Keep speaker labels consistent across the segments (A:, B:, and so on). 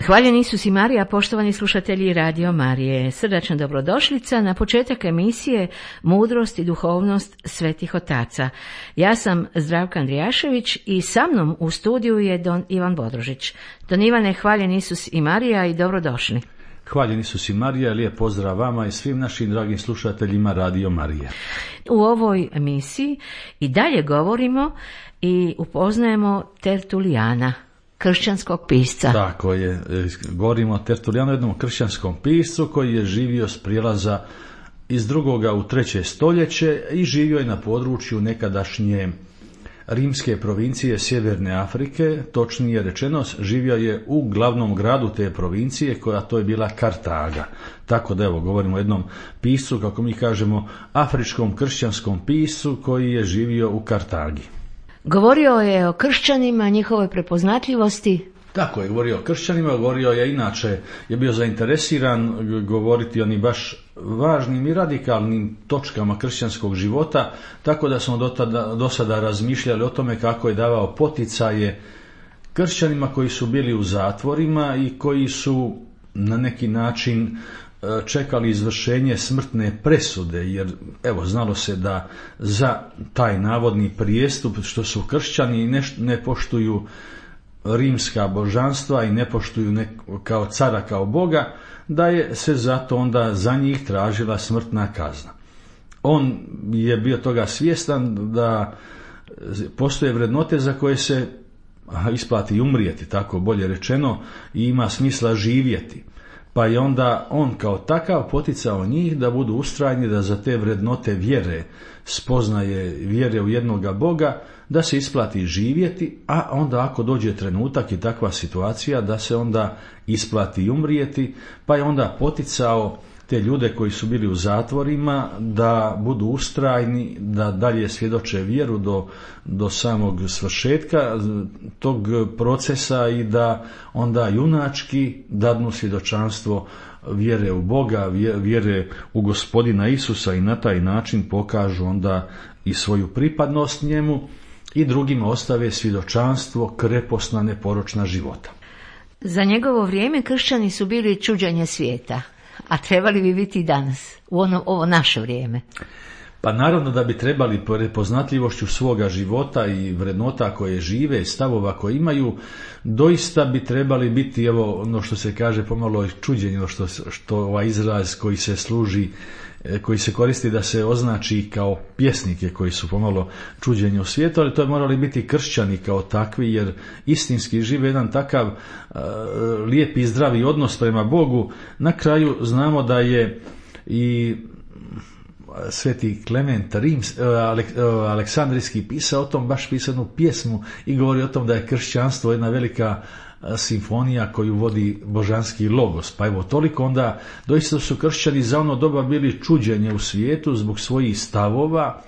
A: Hvaljen Isus i Marija, poštovani slušatelji Radio Marije. Srdačna dobrodošlica na početak emisije Mudrost i duhovnost svetih otaca. Ja sam Zdravka Andrijašević i sa mnom u studiju je don Ivan Bodrožić. Don Ivane, hvaljen Isus i Marija i dobrodošli.
B: Hvaljen Isus i Marija, lijep pozdrav vama i svim našim dragim slušateljima Radio Marije.
A: U ovoj emisiji i dalje govorimo i upoznajemo Tertulijana, kršćanskog pisca.
B: Tako je, govorimo o Tertulijanu, jednom kršćanskom piscu koji je živio s prijelaza iz 2. u 3. stoljeće i živio je na području nekadašnje rimske provincije Sjeverne Afrike, točnije rečeno živio je u glavnom gradu te provincije, koja to je bila Kartaga. Tako da evo govorimo o jednom piscu, kako mi kažemo, afričkom kršćanskom piscu koji je živio u Kartagi.
A: Govorio je o kršćanima, njihovoj prepoznatljivosti.
B: Tako je, govorio o kršćanima, govorio je inače, je bio zainteresiran govoriti o onim baš važnim i radikalnim točkama kršćanskog života, tako da smo do sada razmišljali o tome kako je davao poticaje kršćanima koji su bili u zatvorima i koji su na neki način čekali izvršenje smrtne presude, jer evo znalo se da za taj navodni prijestup što su kršćani ne poštuju rimska božanstva i ne poštuju kao cara, kao Boga, da je se zato onda za njih tražila smrtna kazna. On je bio toga svjestan da postoje vrednote za koje se isplati umrijeti, tako bolje rečeno, i ima smisla živjeti. Pa je onda on kao takav poticao njih da budu ustrajni, da za te vrednote vjere, spoznaje vjere u jednoga Boga, da se isplati živjeti, a onda ako dođe trenutak i takva situacija da se onda isplati umrijeti, pa je onda poticao te ljude koji su bili u zatvorima da budu ustrajni, da dalje svjedoče vjeru do samog svršetka tog procesa i da onda junački dadnu svjedočanstvo vjere u Boga, vjere u Gospodina Isusa i na taj način pokažu onda i svoju pripadnost njemu i drugima ostave svjedočanstvo kreposna, neporočna života.
A: Za njegovo vrijeme kršćani su bili čuđenje svijeta, a trebali bi biti i danas, u ovo naše vrijeme.
B: Pa naravno da bi trebali prepoznatljivošću svoga života i vrednota koje žive, stavova koje imaju, doista bi trebali biti, evo ono što se kaže pomalo čuđenje, što ovaj izraz koji se služi, koji se koristi da se označi kao pjesnike koji su pomalo čuđenje u svijetu, ali to je morali biti kršćani kao takvi, jer istinski žive jedan takav lijep i zdravi odnos prema Bogu. Na kraju znamo da je i sveti Klement Aleksandrijski pisao o tom, baš pisao jednu pjesmu i govori o tom da je kršćanstvo jedna velika simfonija koju vodi božanski logos. Pa evo toliko onda doista su kršćani za ono doba bili čuđenje u svijetu zbog svojih stavova,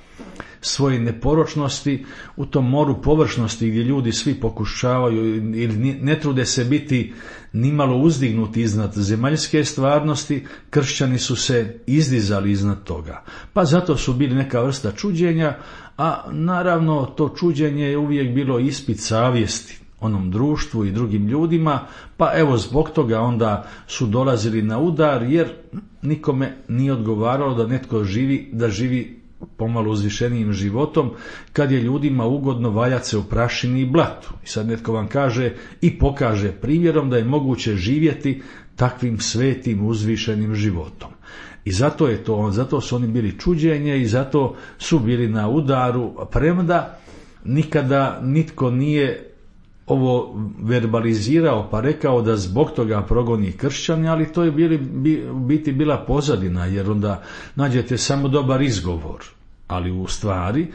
B: svoje neporočnosti u tom moru površnosti gdje ljudi svi pokušavaju ili ne trude se biti nimalo uzdignuti iznad zemaljske stvarnosti, kršćani su se izdizali iznad toga. Pa zato su bili neka vrsta čuđenja, a naravno to čuđenje je uvijek bilo ispit savjesti onom društvu i drugim ljudima, pa evo zbog toga onda su dolazili na udar, jer nikome nije odgovaralo da netko živi pomalo uzvišenijim životom, kad je ljudima ugodno valjati se u prašini i blatu. I sad netko vam kaže i pokaže primjerom da je moguće živjeti takvim svetim uzvišenim životom. I zato su oni bili čuđenje i zato su bili na udaru, premda nikada nitko nije ovo verbalizirao pa rekao da zbog toga progoni kršćani, ali to je biti bila pozadina, jer onda nađete samo dobar izgovor. Ali u stvari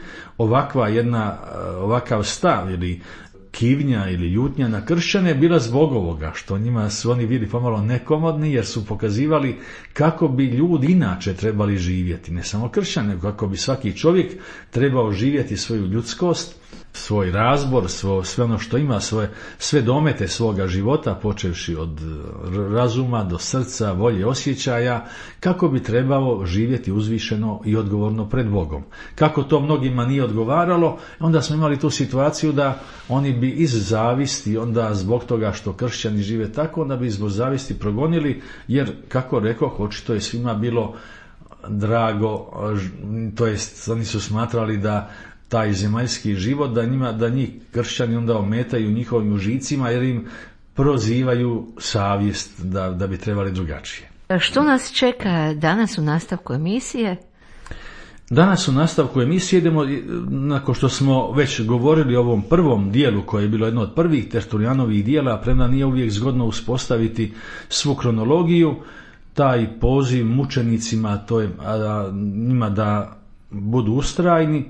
B: ovakav stav ili kivnja ili ljutnja na kršćane je bila zbog ovoga, što njima su oni bili pomalo nekomodni, jer su pokazivali kako bi ljudi inače trebali živjeti, ne samo kršćani, nego kako bi svaki čovjek trebao živjeti svoju ljudskost, svoj razbor, sve ono što ima, sve domete svoga života, počevši od razuma do srca, volje, osjećaja, kako bi trebao živjeti uzvišeno i odgovorno pred Bogom. Kako to mnogima nije odgovaralo, onda smo imali tu situaciju da oni bi iz zavisti, onda zbog toga što kršćani žive tako, onda bi zbog zavisti progonili, jer, kako rekoh, očito je svima bilo drago, to jest oni su smatrali da taj zemaljski život, da njih kršćani onda ometaju njihovim užicima, jer im prozivaju savjest da bi trebali drugačije.
A: Što nas čeka danas u nastavku emisije?
B: Danas u nastavku emisije idemo, nakon što smo već govorili o ovom prvom dijelu, koje je bilo jedno od prvih Tertulijanovih dijela, premda nije uvijek zgodno uspostaviti svu kronologiju, taj poziv mučenicima, to je njima da budu ustrajni.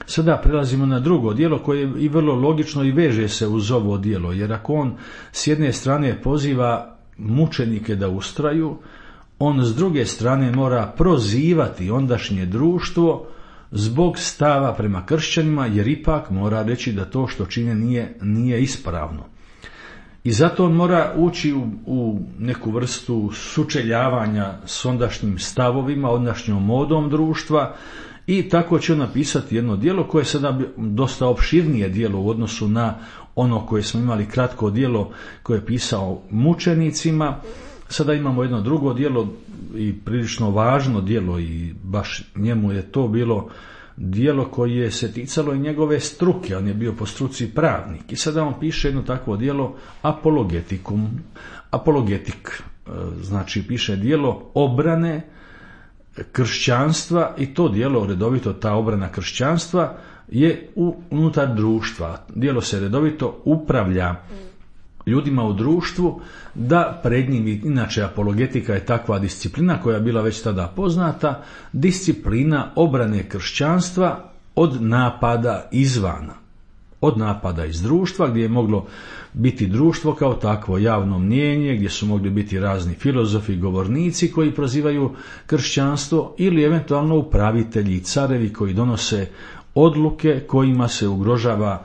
B: Sada prelazimo na drugo djelo koje je i vrlo logično i veže se uz ovo djelo, jer ako on s jedne strane poziva mučenike da ustraju, on s druge strane mora prozivati ondašnje društvo zbog stava prema kršćanima, jer ipak mora reći da to što čine nije ispravno. I zato on mora ući u neku vrstu sučeljavanja s ondašnjim stavovima, ondašnjom modom društva, i tako će on napisati jedno djelo koje je sada dosta opširnije djelo u odnosu na ono koje smo imali kratko djelo koje je pisao mučenicima. Sada imamo jedno drugo djelo i prilično važno djelo, i baš njemu je to bilo djelo koje se ticalo i njegove struke. On je bio po struci pravnik i sada on piše jedno takvo djelo apologetik, znači piše djelo obrane kršćanstva, i to djelo redovito, ta obrana kršćanstva je unutar društva. Djelo se redovito upravlja ljudima u društvu, da pred njim, inače apologetika je takva disciplina koja je bila već tada poznata, disciplina obrane kršćanstva od napada izvana, od napada iz društva, gdje je moglo biti društvo kao takvo javno mnijenje, gdje su mogli biti razni filozofi, govornici koji prozivaju kršćanstvo, ili eventualno upravitelji i carevi koji donose odluke kojima se ugrožava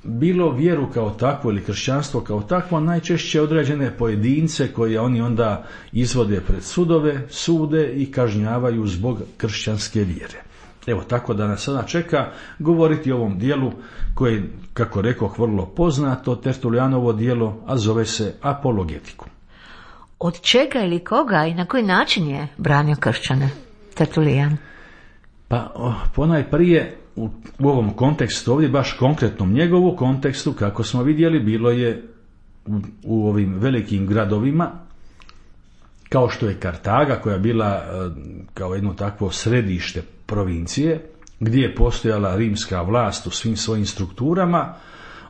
B: bilo vjeru kao takvu ili kršćanstvo kao takvo, najčešće određene pojedince koje oni onda izvode pred sudove, sude i kažnjavaju zbog kršćanske vjere. Evo, tako da nas sada čeka govoriti o ovom dijelu koje, kako rekoh, vrlo poznato, Tertulijanovo dijelo, a zove se Apologetiku.
A: Od čega ili koga i na koji način je branio kršćane Tertulijan?
B: Pa ponajprije u ovom kontekstu, ovdje baš konkretnom njegovu kontekstu, kako smo vidjeli, bilo je u ovim velikim gradovima, kao što je Kartaga, koja je bila kao jedno takvo središte provincije, gdje je postojala rimska vlast u svim svojim strukturama,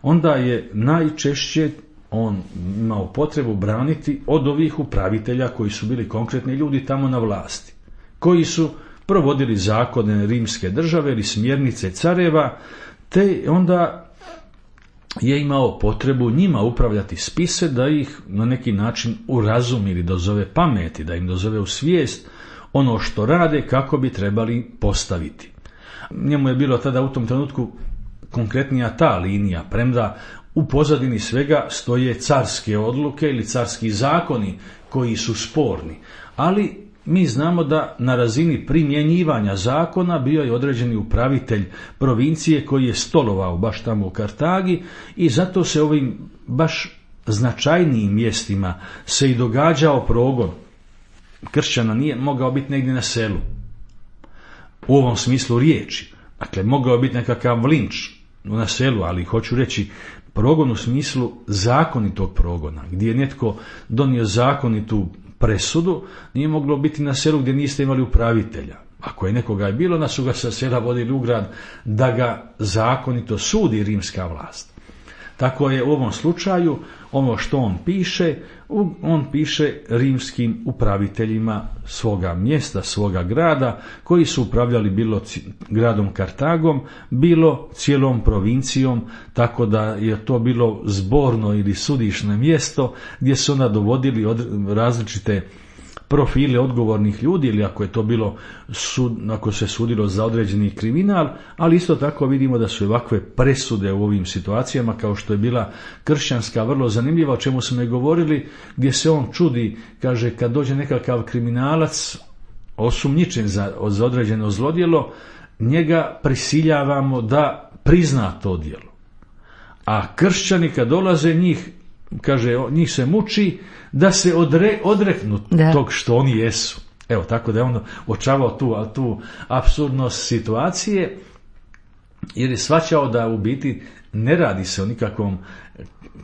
B: onda je najčešće on imao potrebu braniti od ovih upravitelja koji su bili konkretni ljudi tamo na vlasti, koji su provodili zakone rimske države ili smjernice careva, te onda je imao potrebu njima upravljati spise, da ih na neki način urazumi ili dozove pameti, da im dozove u svijest ono što rade, kako bi trebali postaviti. Njemu je bilo tada u tom trenutku konkretnija ta linija, premda u pozadini svega stoje carske odluke ili carski zakoni koji su sporni, ali mi znamo da na razini primjenjivanja zakona bio je određeni upravitelj provincije koji je stolovao baš tamo u Kartagi, i zato se ovim baš značajnijim mjestima se i događao progon kršćana. Nije mogao biti negdje na selu u ovom smislu riječi, dakle mogao biti nekakav linč na selu, ali hoću reći progon u smislu zakonitog progona, gdje je netko donio zakonitu presudu, nije moglo biti na selu gdje niste imali upravitelja. Ako je nekoga je bilo, da su ga sa sela vodili u grad da ga zakonito sudi rimska vlast. Tako je u ovom slučaju ono što on piše rimskim upraviteljima svoga mjesta, svoga grada, koji su upravljali bilo gradom Kartagom, bilo cijelom provincijom, tako da je to bilo zborno ili sudišno mjesto gdje su onda dovodili različite profile odgovornih ljudi ili ako je to bilo ako se sudilo za određeni kriminal, ali isto tako vidimo da su ovakve presude u ovim situacijama kao što je bila kršćanska vrlo zanimljiva, o čemu smo i govorili, gdje se on čudi, kaže kad dođe nekakav kriminalac osumnjičen za određeno zlodjelo, njega prisiljavamo da prizna to djelo. A kršćani kad dolaze njih se muči da se odreknu tog što oni jesu. Evo, tako da je on očavao tu apsurdnost situacije, jer je shvaćao da u biti ne radi se o nikakvom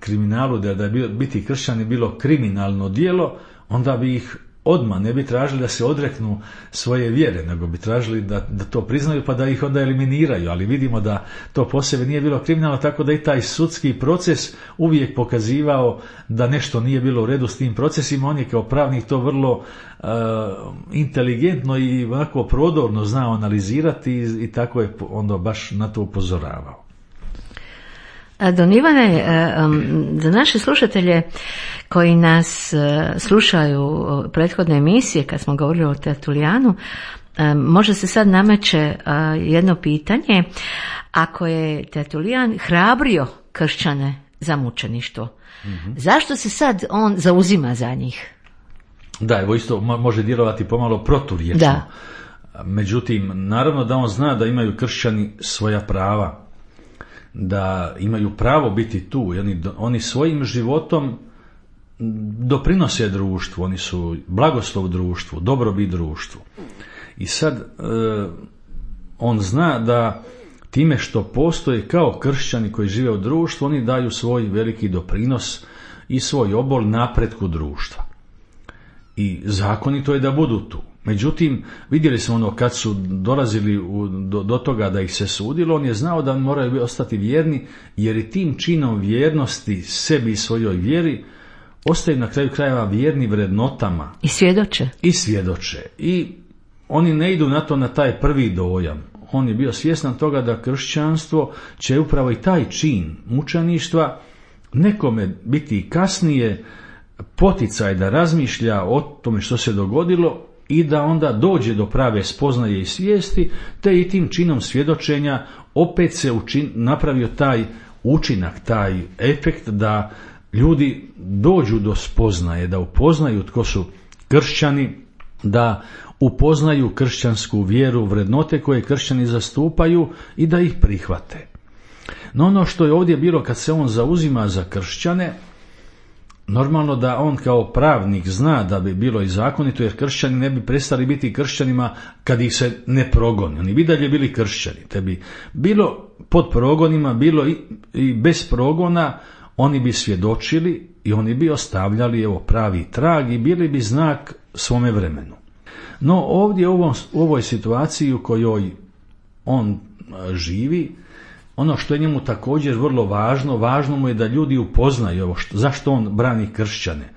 B: kriminalu, da je biti kršćan bilo kriminalno djelo, onda bi ih odmah ne bi tražili da se odreknu svoje vjere, nego bi tražili da to priznaju pa da ih onda eliminiraju, ali vidimo da to po sebi nije bilo kriminalno, tako da i taj sudski proces uvijek pokazivao da nešto nije bilo u redu s tim procesima. On je kao pravnik to vrlo inteligentno i ovako prodorno znao analizirati i tako je onda baš na to upozoravao.
A: Don Ivane, za naše slušatelje koji nas slušaju prethodne emisije kad smo govorili o Tertulijanu, možda se sad nameće jedno pitanje. Ako je Tertulijan hrabrio kršćane za mučeništvo, zašto se sad on zauzima za njih?
B: Da, evo isto može djelovati pomalo proturječno.
A: Da.
B: Međutim, naravno da on zna da imaju kršćani svoja prava, da imaju pravo biti tu. Oni svojim životom doprinose društvu, oni su blagoslov društvu, dobrobit društvu. I sad on zna da time što postoje kao kršćani koji žive u društvu, oni daju svoj veliki doprinos i svoj obol napretku društva. I zakonito je da budu tu. Međutim, vidjeli smo kad su dolazili do toga da ih se sudilo, on je znao da moraju ostati vjerni, jer i tim činom vjernosti sebi i svojoj vjeri ostaju na kraju krajeva vjerni vrednotama.
A: I svjedoče. I oni ne idu na taj prvi dojam. On je bio svjestan toga da kršćanstvo će upravo i taj čin mučeništva nekome biti kasnije poticaj da razmišlja o tome što se dogodilo i da onda dođe do prave spoznaje i svijesti, te i tim činom svjedočenja opet se napravio taj učinak, taj efekt da ljudi dođu do spoznaje, da upoznaju tko su kršćani, da upoznaju kršćansku vjeru, vrednote koje kršćani zastupaju i da ih prihvate. No ono što je ovdje bilo kad se on zauzima za kršćane, normalno da on kao pravnik zna da bi bilo i zakonito, jer kršćani ne bi prestali biti kršćanima kad ih se ne progoni. Oni bi dalje bili kršćani. Te bi bilo pod progonima, bilo i bez progona, oni bi svjedočili i oni bi ostavljali pravi trag i bili bi znak svome vremenu. No ovdje u ovoj situaciji u kojoj on živi, ono što je njemu također vrlo važno mu je da ljudi upoznaju zašto on brani kršćane.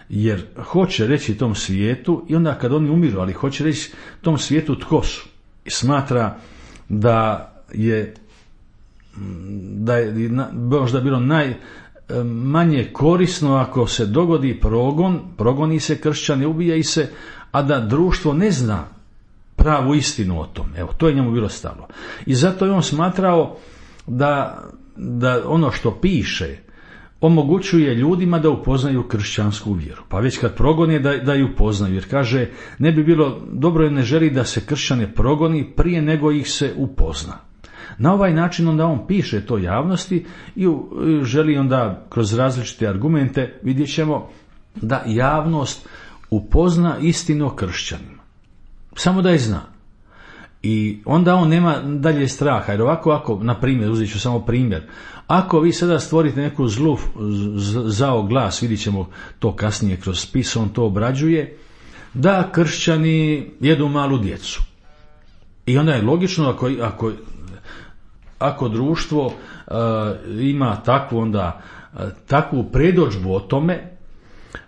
A: Jer hoće reći tom svijetu, i onda kad oni umiru, ali hoće reći tom svijetu tko su. I smatra da je možda bilo najmanje korisno ako se dogodi progoni se kršćane, ubija ih se, a da društvo ne zna pravu istinu o tom. To je njemu bilo stalo. I zato je on smatrao da ono što piše omogućuje ljudima da upoznaju kršćansku vjeru. Pa već kad progoni da ju upoznaju, jer kaže ne bi bilo dobro, jer ne želi da se kršćane progoni prije nego ih se upozna. Na ovaj način onda on piše to javnosti i želi onda kroz različite argumente, vidjet ćemo, da javnost upozna istinu o kršćanima. Samo da je zna. I onda on nema dalje straha, jer ovako ako, na primjer, uzet ću samo primjer, ako vi sada stvorite neku zao glas, vidjet ćemo to kasnije kroz spis, on to obrađuje, da kršćani jedu malu djecu. I onda je logično, ako društvo ima takvu predodžbu o tome,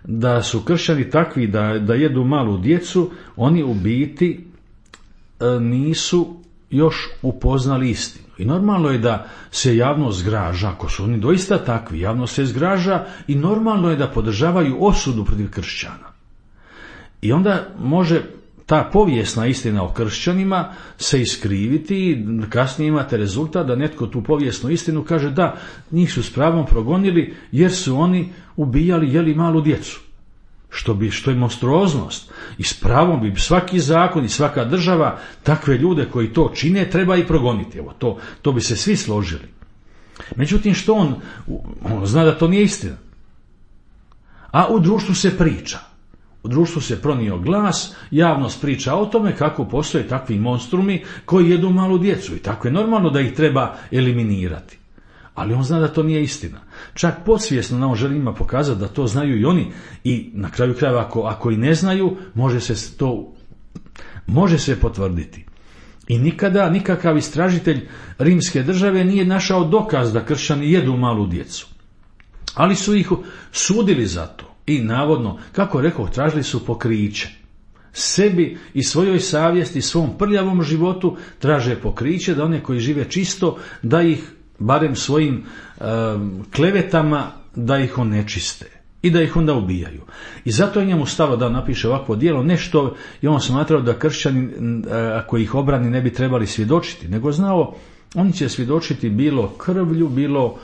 A: da su kršćani takvi da jedu malu djecu, oni u biti nisu još upoznali istinu. I normalno je da se javnost zgraža, ako su oni doista takvi, javnost se zgraža i normalno je da podržavaju osudu protiv kršćana.
B: I onda može ta povijesna istina o kršćanima se iskriviti i kasnije imate rezultat da netko tu povijesnu istinu kaže da, njih su s pravom progonili jer su oni ubijali, jeli malu djecu. Što je monstruoznost. I s pravom bi svaki zakon i svaka država takve ljude koji to čine treba i progoniti. Evo, to bi se svi složili. Međutim, što on zna da to nije istina. A u društvu se priča. U društvu se pronio glas, javnost priča o tome kako postoje takvi monstrumi koji jedu malu djecu i tako je normalno da ih treba eliminirati. Ali on zna da to nije istina. Čak podsvjesno nam želi njima pokazati da to znaju i oni i na kraju krajeva ako i ne znaju, može se potvrditi. I nikakav istražitelj rimske države nije našao dokaz da kršćani jedu malu djecu. Ali su ih sudili za to. I navodno, kako rekao, tražili su pokriće. Sebi i svojoj savjesti, svom prljavom životu traže pokriće da one koji žive čisto, da ih barem svojim klevetama, da ih onečiste i da ih onda ubijaju. I zato je njemu stalo da napiše ovakvo djelo, nešto i on smatrao da kršćani, ako ih obrani, ne bi trebali svjedočiti, nego znao, oni će svjedočiti bilo krvlju, bilo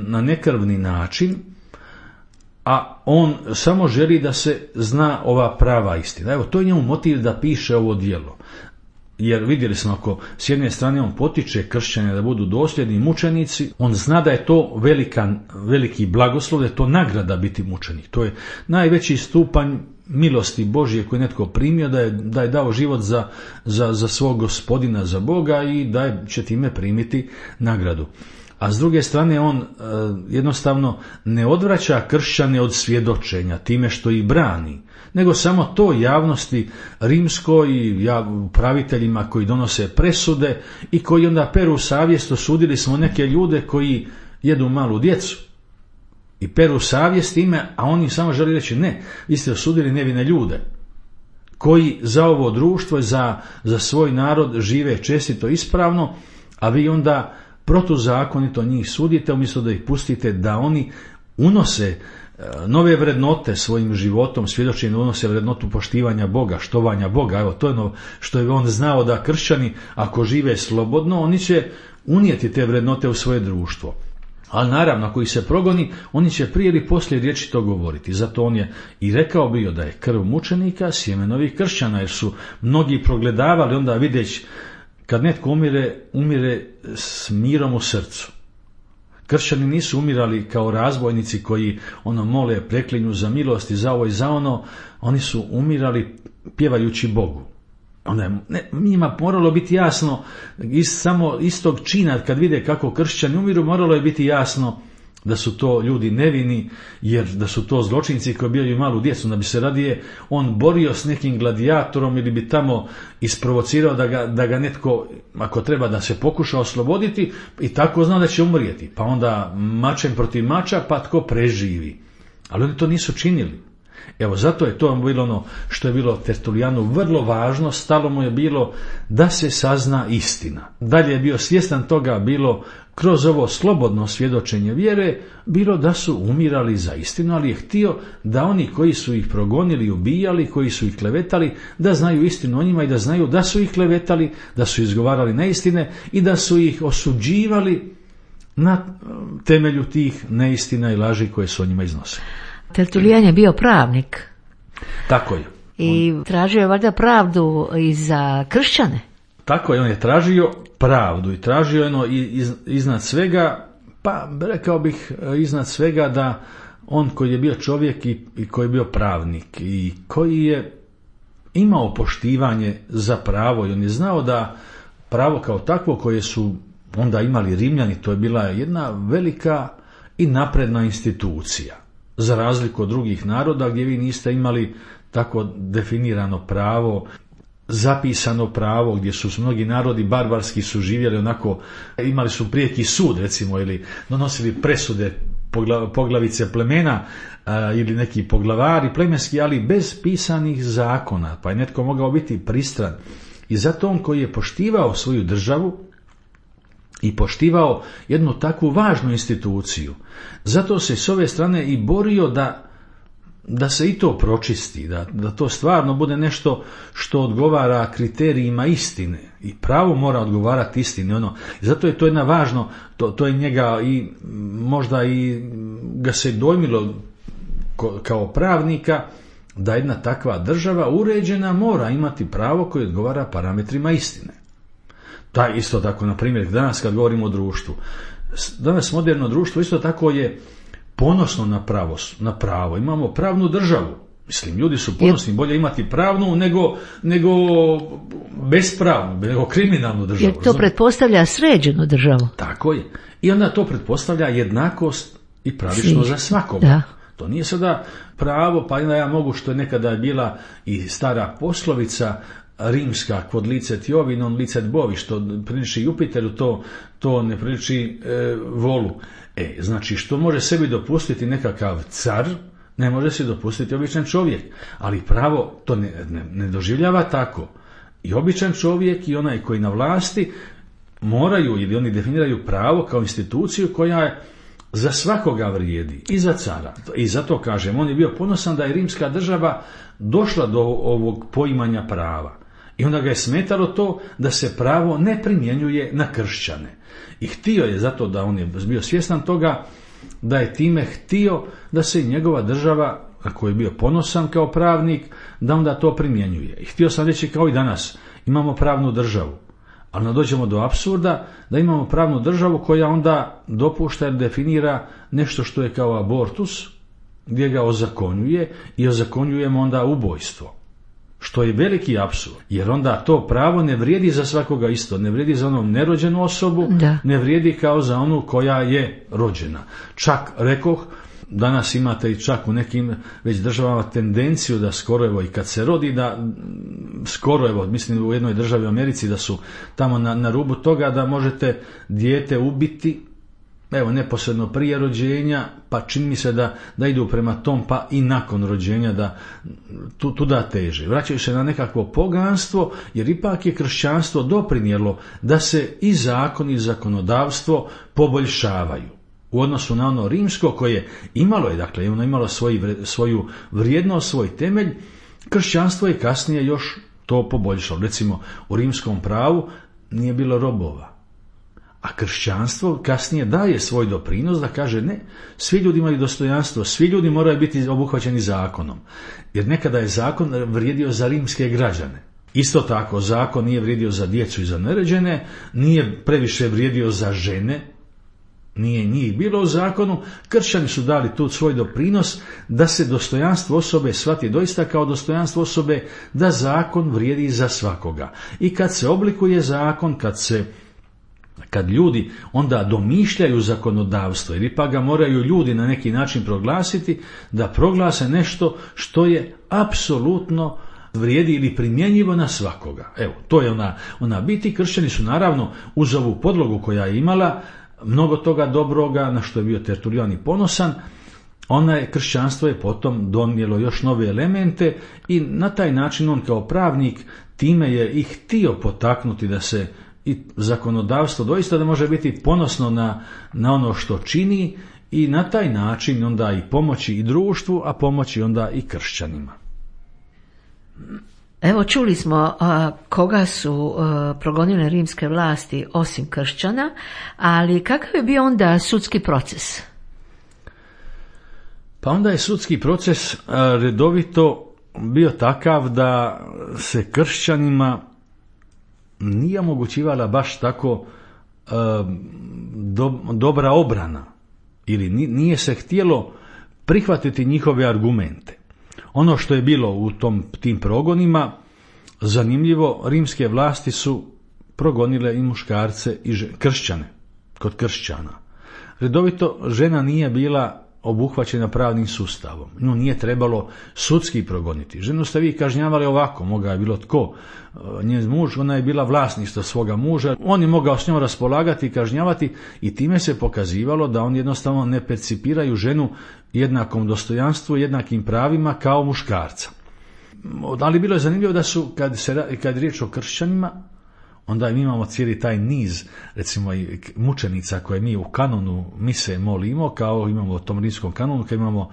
B: na nekrvni način, a on samo želi da se zna ova prava istina. Evo, to je njemu motiv da piše ovo djelo. Jer vidjeli smo, ako s jedne strane on potiče kršćane da budu dosljedni mučenici, on zna da je to veliki blagoslov, da je to nagrada biti mučenik. To je najveći stupanj milosti Božje koji je netko primio, da je dao život za svog gospodina, za Boga i da će time primiti nagradu. A s druge strane on jednostavno ne odvraća kršćane od svjedočenja time što ih brani, nego samo to javnosti rimskoj i upraviteljima koji donose presude i koji onda peru savjest. Osudili smo neke ljude koji jedu malu djecu i peru savjest ime, a oni samo žele reći ne, vi ste osudili nevine ljude koji za ovo društvo i za svoj narod žive čestito ispravno, a vi onda protuzakonito njih sudite umjesto da ih pustite da oni unose nove vrednote svojim životom, svjedočenje unose vrednotu poštivanja Boga, štovanja Boga. Evo, to je ono što je on znao, da kršćani ako žive slobodno, oni će unijeti te vrednote u svoje društvo. Ali naravno, ako ih se progoni, oni će prije ili poslije riječi to govoriti. Zato on je i rekao bio da je krv mučenika sjeme novih kršćana, jer su mnogi progledavali onda vidjeć kad netko umire s mirom u srcu. Kršćani nisu umirali kao razbojnici koji mole, preklinju za milost i za ovo i za ono. Oni su umirali pjevajući Bogu. Njima moralo biti jasno, samo istog čina kad vide kako kršćani umiru, moralo je biti jasno da su to ljudi nevini, jer da su to zločinci koji ubijaju malu djecu, da bi se radije on borio s nekim gladijatorom ili bi tamo isprovocirao da ga netko, ako treba, da se pokuša osloboditi i tako zna da će umrijeti. Pa onda mačem protiv mača, pa tko preživi. Ali oni to nisu činili. Evo, zato je to bilo ono što je bilo Tertulijanu vrlo važno, stalo mu je bilo da se sazna istina. Dalje je bio svjestan toga, bilo kroz ovo slobodno svjedočenje vjere, bilo da su umirali za istinu, ali je htio da oni koji su ih progonili i ubijali, koji su ih klevetali, da znaju istinu o njima i da znaju da su ih klevetali, da su izgovarali neistine i da su ih osuđivali na temelju tih neistina i laži koje su o njima iznosili.
A: Tertulijan je bio pravnik.
B: Tako je.
A: I tražio je valjda pravdu i za kršćane.
B: Tako je, on je tražio pravdu i tražio iznad svega, pa rekao bih iznad svega da on koji je bio čovjek i koji je bio pravnik i koji je imao poštivanje za pravo i on je znao da pravo kao takvo koje su onda imali Rimljani, to je bila jedna velika i napredna institucija. Za razliku od drugih naroda gdje vi niste imali tako definirano pravo, zapisano pravo, gdje su mnogi narodi barbarski su živjeli onako, imali su prijeki sud recimo ili donosili presude poglavice plemena ili neki poglavari plemenski, ali bez pisanih zakona, pa je netko mogao biti pristran. I zato on koji je poštivao svoju državu i poštivao jednu takvu važnu instituciju, zato se s ove strane i borio da da se i to pročisti, da to stvarno bude nešto što odgovara kriterijima istine. I pravo mora odgovarati istini. Zato je to jedna važno, to je njega i možda i ga se dojmilo kao pravnika, da jedna takva država uređena mora imati pravo koje odgovara parametrima istine. Da, isto tako, na primjer, danas kad govorimo o društvu, danas moderno društvo isto tako je ponosno na pravo. Imamo pravnu državu. Mislim, ljudi su ponosni, bolje imati pravnu nego bespravnu, nego kriminalnu državu.
A: Jer to pretpostavlja sređenu državu.
B: Tako je. I onda to pretpostavlja jednakost i pravično za svakoga.
A: Da.
B: To nije sada pravo, pa ja mogu, što je nekada bila i stara poslovica rimska, quod licet Jovi non licet bovi, što priliči Jupiteru, to ne priliči volu. Znači, što može sebi dopustiti nekakav car, ne može se dopustiti običan čovjek. Ali pravo to ne doživljava tako. I običan čovjek i onaj koji na vlasti moraju, ili oni definiraju pravo kao instituciju koja za svakoga vrijedi, i za cara. I zato kažem, on je bio ponosan da je rimska država došla do ovog poimanja prava. I onda ga je smetalo to da se pravo ne primjenjuje na kršćane. I htio je, zato da on je bio svjestan toga, da je time htio da se i njegova država, na koju je bio ponosan kao pravnik, da onda to primjenjuje. I htio sam reći, kao i danas, imamo pravnu državu. Ali ne dođemo do apsurda da imamo pravnu državu koja onda dopušta ili definira nešto što je kao abortus, gdje ga ozakonjuje i ozakonjujemo onda ubojstvo. Što je veliki apsurd, jer onda to pravo ne vrijedi za svakoga isto, ne vrijedi za onu nerođenu osobu, ne vrijedi kao za onu koja je rođena. Čak, rekoh, danas imate i čak u nekim već državama tendenciju da skoro, evo i kad se rodi, da skoro, evo, mislim u jednoj državi u Americi, da su tamo na rubu toga da možete dijete ubiti, evo, neposredno prije rođenja, pa čini mi se da idu prema tom, pa i nakon rođenja, da tuda teže. Vraćaju se na nekakvo poganstvo, jer ipak je kršćanstvo doprinijelo da se i zakon i zakonodavstvo poboljšavaju. U odnosu na ono rimsko, koje imalo je, dakle, ono imalo svoju vrijednost, svoj temelj, kršćanstvo je kasnije još to poboljšalo. Recimo, u rimskom pravu nije bilo robova. A kršćanstvo kasnije daje svoj doprinos da kaže ne, svi ljudi imaju dostojanstvo, svi ljudi moraju biti obuhvaćeni zakonom. Jer nekada je zakon vrijedio za rimske građane. Isto tako, zakon nije vrijedio za djecu i za nerođene, nije previše vrijedio za žene, nije njih bilo u zakonu. Kršćani su dali tu svoj doprinos da se dostojanstvo osobe shvati doista kao dostojanstvo osobe, da zakon vrijedi za svakoga. I kad se oblikuje zakon, kad ljudi onda domišljaju zakonodavstvo, jer ipak ga moraju ljudi na neki način proglasiti, da proglase nešto što je apsolutno vrijedi ili primjenjivo na svakoga. Evo, to je ona biti. Kršćani su naravno uz ovu podlogu koja je imala mnogo toga dobroga, na što je bio Tertulijan i ponosan, kršćanstvo je potom donijelo još nove elemente i na taj način on kao pravnik time je i htio potaknuti da se i zakonodavstvo doista da može biti ponosno na ono što čini i na taj način onda i pomoći i društvu, a pomoći onda i kršćanima.
A: Evo, čuli smo koga su progonile rimske vlasti osim kršćana, ali kakav je bio onda sudski proces?
B: Pa onda je sudski proces redovito bio takav da se kršćanima nije omogućivala baš tako dobra obrana, ili nije se htjelo prihvatiti njihove argumente. Ono što je bilo u tim progonima, zanimljivo, rimske vlasti su progonile i muškarce i kršćane, kod kršćana. Redovito žena nije bila obuhvaćena pravnim sustavom. Nju nije trebalo sudski progoniti. Ženu ste vi kažnjavali ovako, mogao je bilo tko. Njen muž, ona je bila vlasništvo svoga muža. On je mogao s njom raspolagati i kažnjavati i time se pokazivalo da oni jednostavno ne percipiraju ženu jednakom dostojanstvu, jednakim pravima kao muškarca. Ali bilo je zanimljivo da su, kad je riječ o kršćanima, onda mi imamo cijeli taj niz, recimo i mučenica koje mi u kanonu mise molimo, kao imamo u tom rimskom kanonu, kao imamo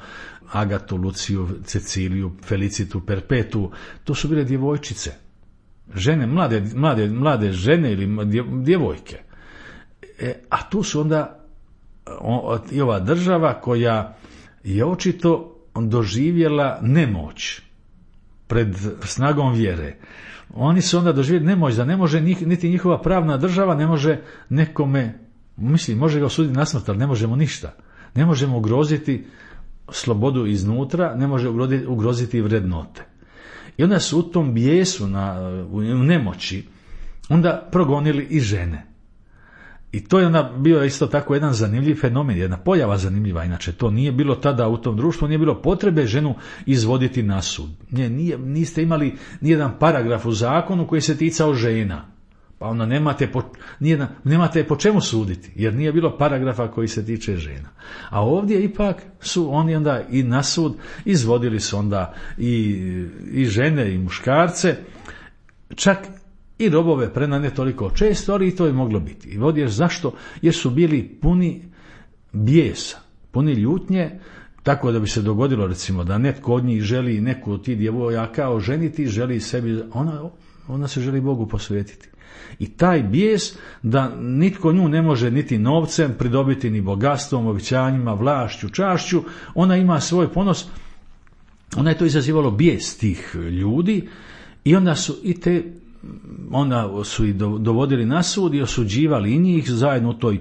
B: Agatu, Luciju, Ceciliju, Felicitu, Perpetu, to su bile djevojčice, žene, mlade žene ili djevojke. A tu su onda i ova država koja je očito doživjela nemoć pred snagom vjere. Oni su onda doživjeli nemoć da ne može niti njihova pravna država ne može nekome, može ga osuditi na smrt, ali ne možemo ništa. Ne možemo ugroziti slobodu iznutra, ne može ugroziti vrednote. I onda su u tom bijesu, u nemoći, onda progonili i žene. I to je onda bio isto tako jedan zanimljiv fenomen, jedna pojava zanimljiva. Inače, to nije bilo tada u tom društvu, nije bilo potrebe ženu izvoditi na sud. Niste imali nijedan paragraf u zakonu koji se ticao žena. Pa onda nemate po čemu suditi, jer nije bilo paragrafa koji se tiče žena. A ovdje ipak su oni onda i na sud izvodili su onda i žene i muškarce, čak i robove ne toliko često, ali i to je moglo biti. I ovdje zašto? Jer su bili puni bijesa, puni ljutnje, tako da bi se dogodilo recimo da netko od njih želi neku od tih djevojaka oženiti, želi sebi, ona se želi Bogu posvetiti. I taj bijes da nitko nju ne može niti novcem pridobiti, ni bogatstvom, obećanjima, vlašću, čašću, ona ima svoj ponos, ona je to izazivalo bijes tih ljudi i onda su ih dovodili na sud i osuđivali i njih zajedno u toj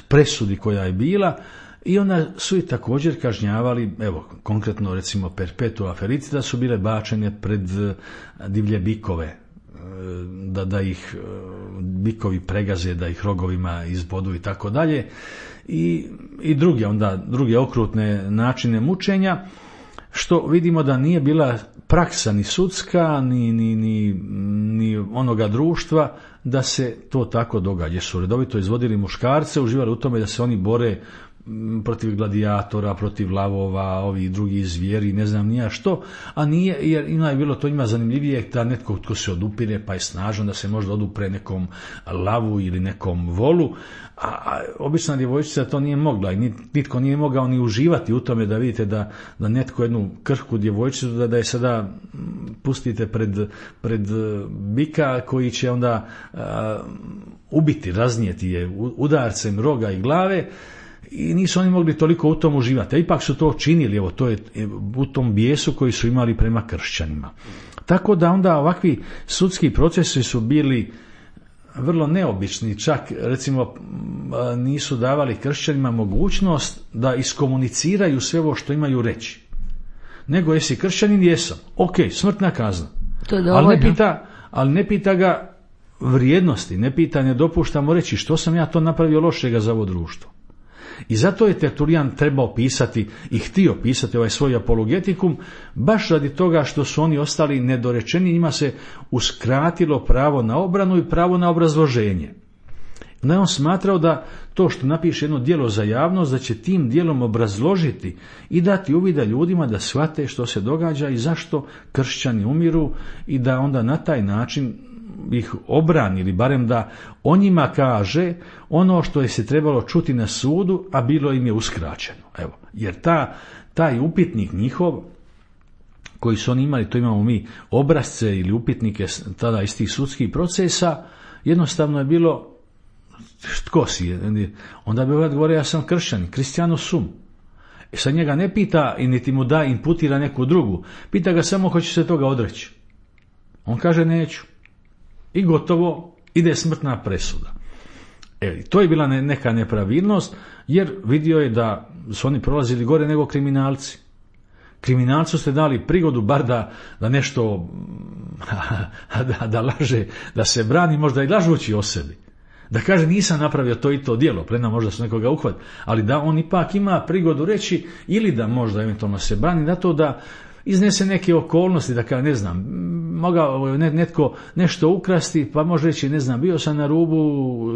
B: presudi koja je bila i onda su ih također kažnjavali, evo konkretno recimo Perpetua Felicita su bile bačene pred divlje bikove, da ih bikovi pregaze, da ih rogovima izbodu i tako dalje i druge okrutne načine mučenja, što vidimo da nije bila praksa ni sudska ni onoga društva da se to tako događa. Su redovito izvodili muškarce, uživali u tome da se oni bore protiv gladijatora, protiv lavova, ovih drugih zvijeri, ne znam nija što, a nije, jer je bilo to njima zanimljivije da netko tko se odupire pa je snažan da se možda odupre nekom lavu ili nekom volu, a obična djevojčica to nije mogla i nitko nije mogao ni uživati u tome da vidite da netko jednu krhku djevojčicu da je sada pustite pred bika koji će onda ubiti, raznijeti je udarcem roga i glave. I nisu oni mogli toliko u tom uživati, a ipak su to činili, evo to je u tom bijesu koji su imali prema kršćanima. Tako da onda ovakvi sudski procesi su bili vrlo neobični, čak recimo nisu davali kršćanima mogućnost da iskomuniciraju sve ovo što imaju reći. Nego jesi kršćanin, jesam, ok, smrtna kazna.
A: To je
B: ali ne pita ga vrijednosti, ne dopuštamo reći što sam ja to napravio lošega za ovo društvo. I zato je Tertulijan trebao pisati i htio pisati ovaj svoj apologetikum, baš radi toga što su oni ostali nedorečeni, njima se uskratilo pravo na obranu i pravo na obrazloženje. Da je on smatrao da to što napiše jedno djelo za javnost, da će tim djelom obrazložiti i dati uvida ljudima da shvate što se događa i zašto kršćani umiru i da onda na taj način ih obrani ili barem da o njima kaže ono što je se trebalo čuti na sudu, a bilo im je uskraćeno. Evo, jer taj upitnik njihov koji su oni imali, to imamo mi obrasce ili upitnike tada iz tih sudskih procesa, jednostavno je bilo tko si? Onda bi odgovorio ja sam kršćanin, Cristiano sum. Sad njega ne pita i niti mu da imputira neku drugu, pita ga samo hoće se toga odreći. On kaže neću. I gotovo, ide smrtna presuda. To je bila neka nepravilnost, jer vidio je da su oni prolazili gore nego kriminalci. Kriminalcu ste dali prigodu bar da nešto da laže, da se brani, možda i lažući o sebi. Da kaže nisam napravio to i to djelo, prema možda su nekoga uhvatili, ali da on ipak ima prigodu reći ili da možda eventualno se brani na to da iznese neke okolnosti, da ne znam, mogao netko nešto ukrasti, pa može reći, ne znam, bio sam na rubu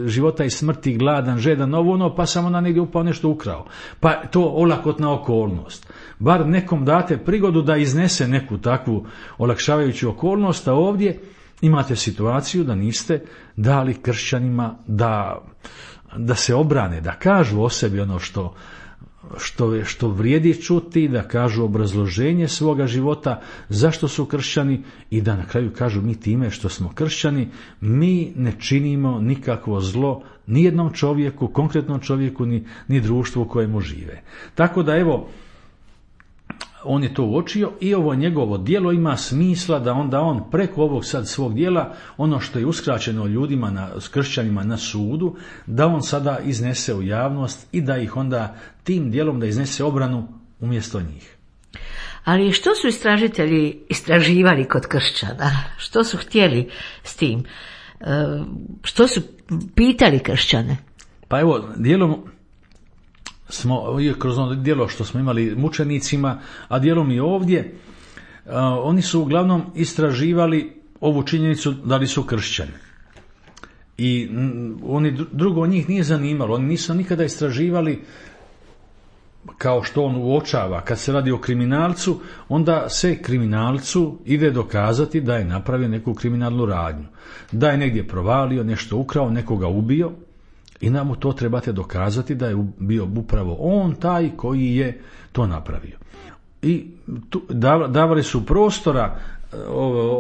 B: života i smrti, gladan, žedan, pa sam onda negdje upao nešto ukrao. Pa to olakotna okolnost. Bar nekom date prigodu da iznese neku takvu olakšavajuću okolnost, a ovdje imate situaciju da niste dali kršćanima da se obrane, da kažu o sebi ono što vrijedi čuti, da kažu obrazloženje svoga života, zašto su kršćani i da na kraju kažu mi time što smo kršćani, mi ne činimo nikakvo zlo nijednom čovjeku, konkretnom čovjeku, ni društvu u kojemu žive. Tako da evo, on je to uočio i ovo njegovo djelo ima smisla da onda on preko ovog sad svog djela, ono što je uskraćeno ljudima, kršćanima na sudu, da on sada iznese u javnost i da ih onda tim djelom da iznese obranu umjesto njih.
A: Ali što su istražitelji istraživali kod kršćana? Što su htjeli s tim? Što su pitali kršćane?
B: Pa evo, dijelom smo, kroz ono djelo što smo imali mučenicima, a dijelom i ovdje, oni su uglavnom istraživali ovu činjenicu da li su kršćani. I drugo njih nije zanimalo, oni nisu nikada istraživali kao što on uočava. Kad se radi o kriminalcu, onda se kriminalcu ide dokazati da je napravio neku kriminalnu radnju, da je negdje provalio, nešto ukrao, nekoga ubio, i nam mu to trebate dokazati da je bio upravo on taj koji je to napravio. I davali su prostora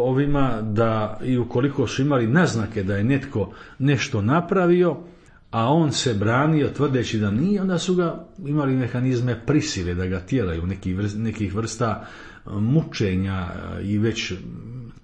B: ovima da i ukoliko su imali naznake da je netko nešto napravio, a on se branio tvrdeći da nije, onda su ga imali mehanizme prisile da ga tjeraju, nekih vrsta mučenja i već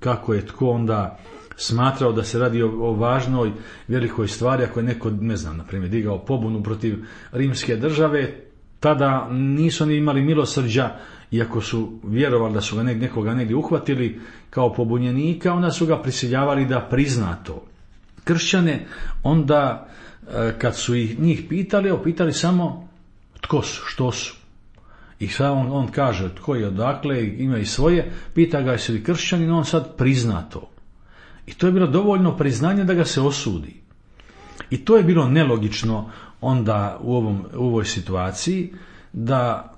B: kako je tko onda smatrao da se radi o važnoj, velikoj stvari. Ako je neko, ne znam, na primjer, digao pobunu protiv rimske države, tada nisu oni imali milosrđa, iako su vjerovali da su ga nekoga negdje uhvatili kao pobunjenika, onda su ga prisiljavali da prizna to. Kršćane onda, kad su njih pitali samo tko su, što su. I sad on kaže tko je, odakle, ima i svoje, pita ga jesi li kršćanin, on sad prizna to. I to je bilo dovoljno priznanje da ga se osudi. I to je bilo nelogično onda u ovoj situaciji, da,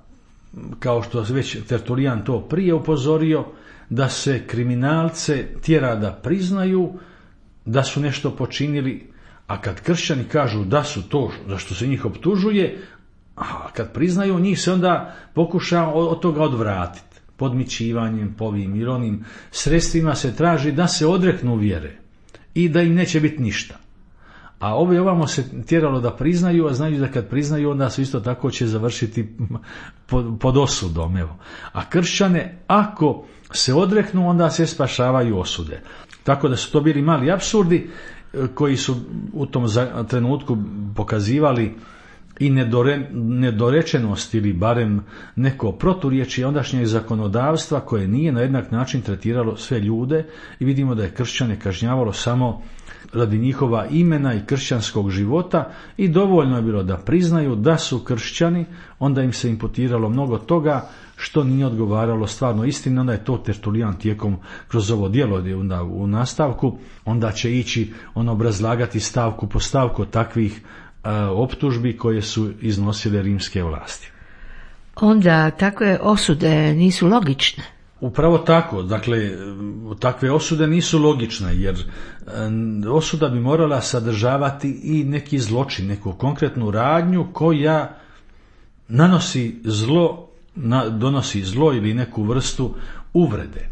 B: kao što već Tertulijan to prije upozorio, da se kriminalce tjera da priznaju da su nešto počinili, a kad kršćani kažu da su to za što se njih optužuje, a kad priznaju, njih se onda pokuša od toga odvratiti. Podmićivanjem, povim i onim sredstvima se traži da se odreknu vjere i da im neće biti ništa. A ovamo se tjeralo da priznaju, a znaju da kad priznaju onda su isto tako će završiti pod osudom. Evo. A kršćane, ako se odreknu, onda se spašavaju osude. Tako da su to bili mali apsurdi koji su u tom trenutku pokazivali i nedorečenost ili barem neko proturječje ondašnjeg zakonodavstva koje nije na jednak način tretiralo sve ljude, i vidimo da je kršćane kažnjavalo samo radi njihova imena i kršćanskog života, i dovoljno je bilo da priznaju da su kršćani, onda im se imputiralo mnogo toga što nije odgovaralo stvarno istini. Onda je to Tertulijan tijekom kroz ovo djelo onda u nastavku, onda će ići obrazlagati stavku po stavku takvih optužbi koje su iznosile rimske vlasti.
A: Onda takve osude nisu logične.
B: Upravo tako, dakle, takve osude nisu logične, jer osuda bi morala sadržavati i neki zločin, neku konkretnu radnju koja donosi zlo ili neku vrstu uvrede.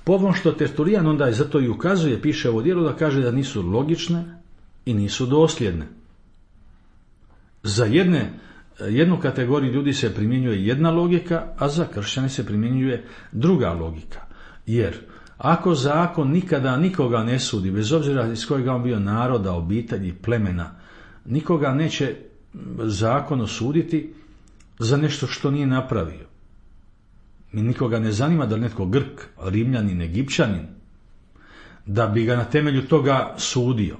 B: Po ovom što Tertulijan onda zato i ukazuje, piše ovo djelo, da kaže da nisu logične i nisu dosljedne. Za jednu kategoriju ljudi se primjenjuje jedna logika, a za kršćane se primjenjuje druga logika. Jer ako zakon nikada nikoga ne sudi, bez obzira iz kojega on bio naroda, obitelji, plemena, nikoga neće zakon osuditi za nešto što nije napravio. Nikoga ne zanima da li netko Grk, Rimljanin, Egipćanin, da bi ga na temelju toga sudio.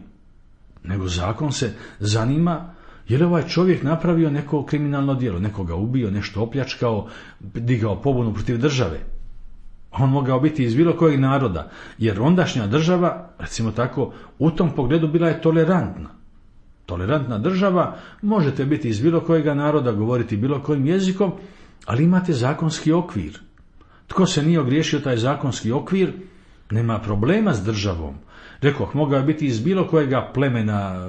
B: Nego zakon se zanima je li ovaj čovjek napravio neko kriminalno djelo, nekoga ubio, nešto opljačkao, digao pobunu protiv države. On mogao biti iz bilo kojeg naroda, jer ondašnja država, recimo tako, u tom pogledu bila je tolerantna. Tolerantna država, možete biti iz bilo kojega naroda, govoriti bilo kojim jezikom, ali imate zakonski okvir. Tko se nije ogriješio taj zakonski okvir, nema problema s državom. Rekoh, mogao je biti iz bilo kojega plemena,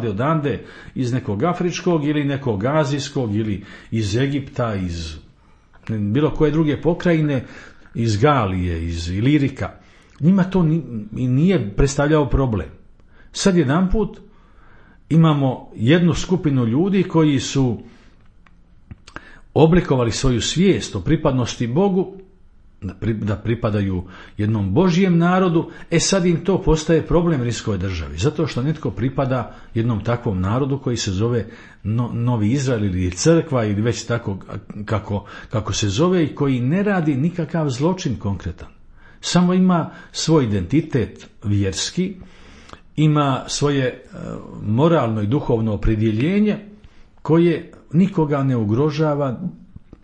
B: odande, iz nekog afričkog ili nekog azijskog ili iz Egipta, iz bilo koje druge pokrajine, iz Galije, iz Ilirika. Njima to nije predstavljao problem. Sad jedanput imamo jednu skupinu ljudi koji su oblikovali svoju svijest o pripadnosti Bogu, da pripadaju jednom Božjem narodu, sad im to postaje problem rimskoj državi, zato što netko pripada jednom takvom narodu koji se zove Novi Izrael ili crkva ili već tako kako se zove, i koji ne radi nikakav zločin konkretan. Samo ima svoj identitet vjerski, ima svoje moralno i duhovno opredjeljenje koje nikoga ne ugrožava,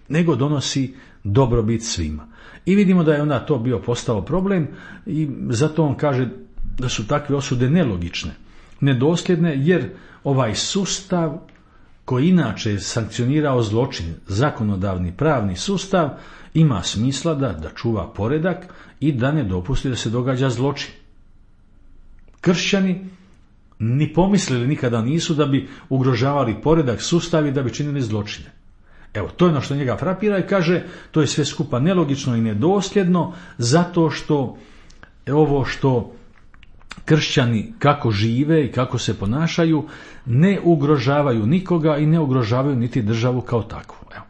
B: nego donosi dobrobit svima. I vidimo da je onda to postao problem i zato on kaže da su takve osude nelogične, nedosljedne, jer ovaj sustav koji inače sankcionirao zločin, zakonodavni pravni sustav, ima smisla da čuva poredak i da ne dopusti da se događa zločin. Kršćani ni pomislili nikada nisu da bi ugrožavali poredak, sustav i da bi činili zločine. Evo, to je ono što njega frapira i kaže, to je sve skupa nelogično i nedosljedno, zato što ovo što kršćani kako žive i kako se ponašaju ne ugrožavaju nikoga i ne ugrožavaju niti državu kao takvu. Evo.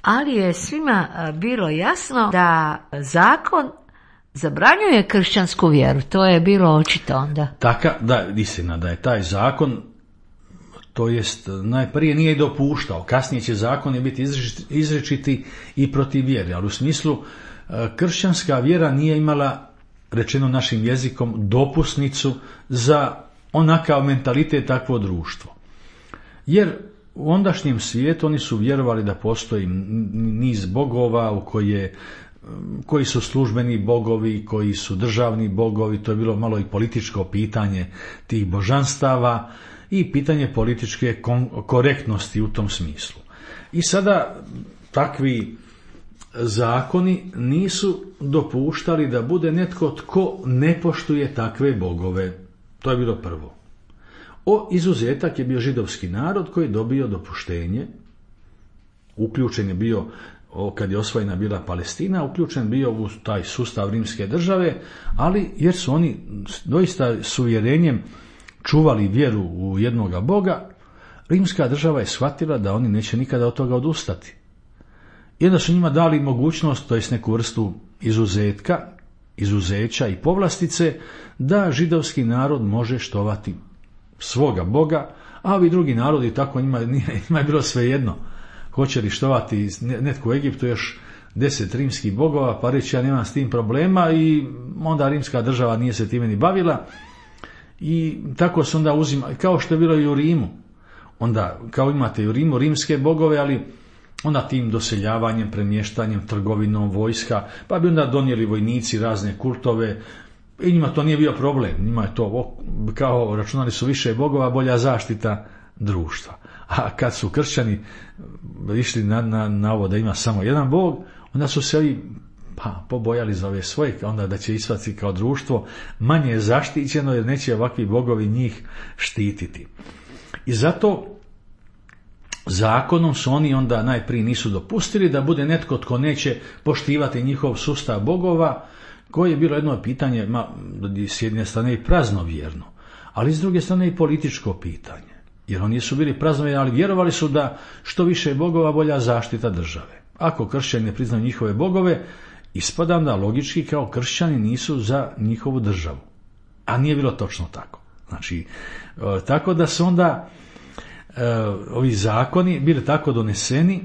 A: Ali je svima bilo jasno da zakon zabranjuje kršćansku vjeru. To je bilo očito onda.
B: Istina da je taj zakon, to jest najprije nije dopuštao, kasnije će zakoni biti izričiti i protiv vjere, ali u smislu kršćanska vjera nije imala, rečeno našim jezikom, dopusnicu za onakav mentalitet, takvo društvo. Jer u ondašnjem svijetu oni su vjerovali da postoji niz bogova koji su službeni bogovi, koji su državni bogovi, to je bilo malo i političko pitanje tih božanstava i pitanje političke korektnosti u tom smislu. I sada takvi zakoni nisu dopuštali da bude netko tko ne poštuje takve bogove. To je bilo prvo. Izuzetak je bio židovski narod koji je dobio dopuštenje, uključen je bio, kad je osvojena bila Palestina, uključen bio u taj sustav rimske države, ali jer su oni doista s uvjerenjem čuvali vjeru u jednoga Boga, rimska država je shvatila da oni neće nikada od toga odustati. I onda su njima dali mogućnost, to jest neku vrstu izuzeća i povlastice, da židovski narod može štovati svoga Boga, a ovi drugi narodi tako njima je bilo svejedno. Hoće li štovati netko u Egiptu još 10 rimskih bogova, pa reći ja nemam s tim problema, i onda rimska država nije se time ni bavila. I tako se onda uzima, kao što je bilo i u Rimu. Onda, kao imate i u Rimu rimske bogove, ali onda tim doseljavanjem, premještanjem, trgovinom, vojska, pa bi onda donijeli vojnici razne kultove, i njima to nije bio problem. Njima je to, kao računali su više bogova, bolja zaštita društva. A kad su kršćani išli na ovo da ima samo jedan bog, onda su se ovi pobojali za ove svoje, onda da će ispasti kao društvo manje zaštićeno, jer neće ovakvi bogovi njih štititi. I zato zakonom su oni onda najprije nisu dopustili da bude netko tko neće poštivati njihov sustav bogova, koje je bilo jedno pitanje, s jedne strane i praznovjerno, ali s druge strane i političko pitanje. Jer oni su bili praznovjerni, ali vjerovali su da što više bogova, bolja zaštita države. Ako kršćani ne priznaju njihove bogove, ispada da logički kao kršćani nisu za njihovu državu. A nije bilo točno tako. Znači, tako da su onda ovi zakoni bili tako doneseni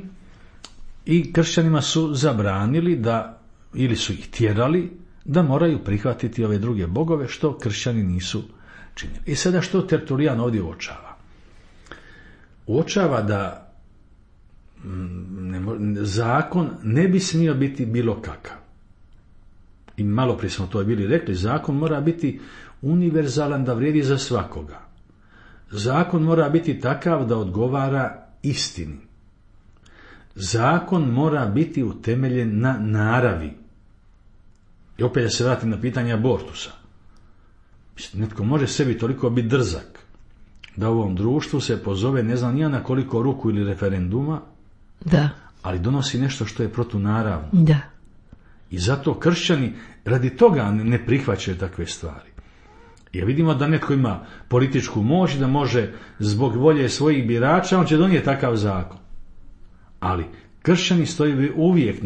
B: i kršćanima su zabranili da, ili su ih tjerali da moraju prihvatiti ove druge bogove, što kršćani nisu činili. I sada što Tertulijan ovdje uočava? Uočava da zakon ne bi smio biti bilo kakav. I malo prije smo to bili rekli, zakon mora biti univerzalan, da vrijedi za svakoga. Zakon mora biti takav da odgovara istini. Zakon mora biti utemeljen na naravi. I opet da se vratim na pitanje abortusa. Netko može sebi toliko biti drzak da u ovom društvu se pozove ne znam nija na koliko ruku ili referenduma,
A: da,
B: ali donosi nešto što je protunaravno.
A: Da.
B: I zato kršćani radi toga ne prihvaćaju takve stvari. Jer vidimo da netko ima političku moć, da može zbog volje svojih birača, on će donijeti takav zakon. Ali kršćani stoji uvijek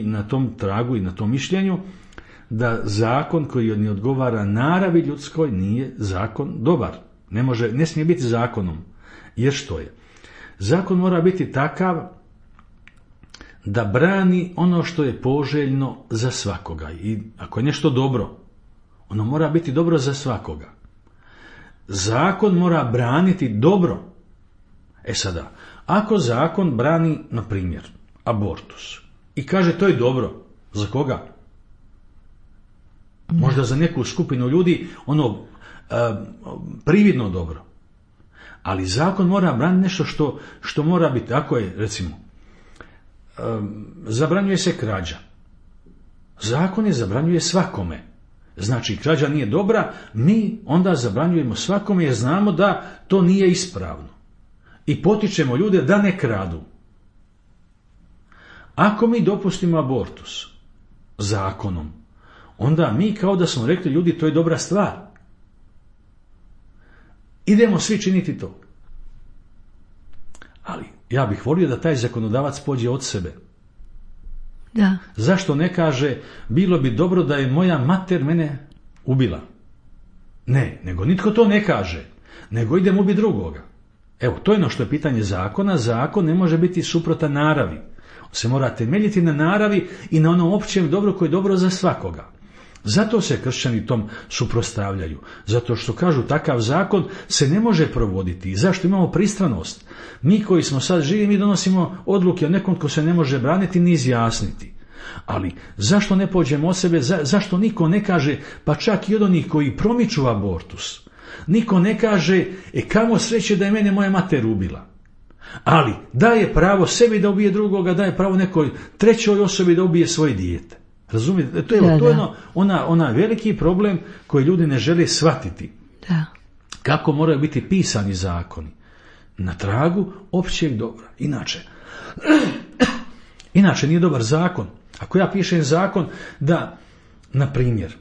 B: na tom tragu i na tom mišljenju da zakon koji ne odgovara naravi ljudskoj nije zakon dobar. Ne smije biti zakonom. Jer što je? Zakon mora biti takav da brani ono što je poželjno za svakoga. I ako je nešto dobro, ono mora biti dobro za svakoga. Zakon mora braniti dobro. Sada, ako zakon brani, na primjer, abortus i kaže to je dobro, za koga? Možda za neku skupinu ljudi prividno dobro. Ali zakon mora braniti nešto što mora biti. Ako je, recimo, zabranjuje se krađa. Zakon je zabranjuje svakome. Znači, krađa nije dobra, mi onda zabranjujemo svakome jer znamo da to nije ispravno. I potičemo ljude da ne kradu. Ako mi dopustimo abortus zakonom, onda mi kao da smo rekli ljudi to je dobra stvar. Idemo svi činiti to. Ali ja bih volio da taj zakonodavac pođe od sebe.
A: Da.
B: Zašto ne kaže bilo bi dobro da je moja mater mene ubila? Ne, nego nitko to ne kaže. Nego idem ubiti drugoga. Evo, to je ono što je pitanje zakona. Zakon ne može biti suprotan naravi. On se mora temeljiti na naravi i na onom općem dobru koje je dobro za svakoga. Zato se kršćani tom suprotstavljaju. Zato što kažu takav zakon se ne može provoditi. I zašto imamo pristranost? Mi koji smo sad živi, mi donosimo odluke o nekom ko se ne može braniti ni izjasniti. Ali zašto ne pođemo od sebe? Zašto niko ne kaže, pa čak i od onih koji promiču abortus, niko ne kaže, kamo sreće da je mene moja mater ubila. Ali daje pravo sebi da ubije drugoga, daje pravo nekoj trećoj osobi da ubije svoje dijete. Razumijete? To je ona veliki problem koji ljudi ne žele shvatiti.
A: Da.
B: Kako moraju biti pisani zakoni? Na tragu općeg dobra. Inače nije dobar zakon. Ako ja pišem zakon da, na primjer,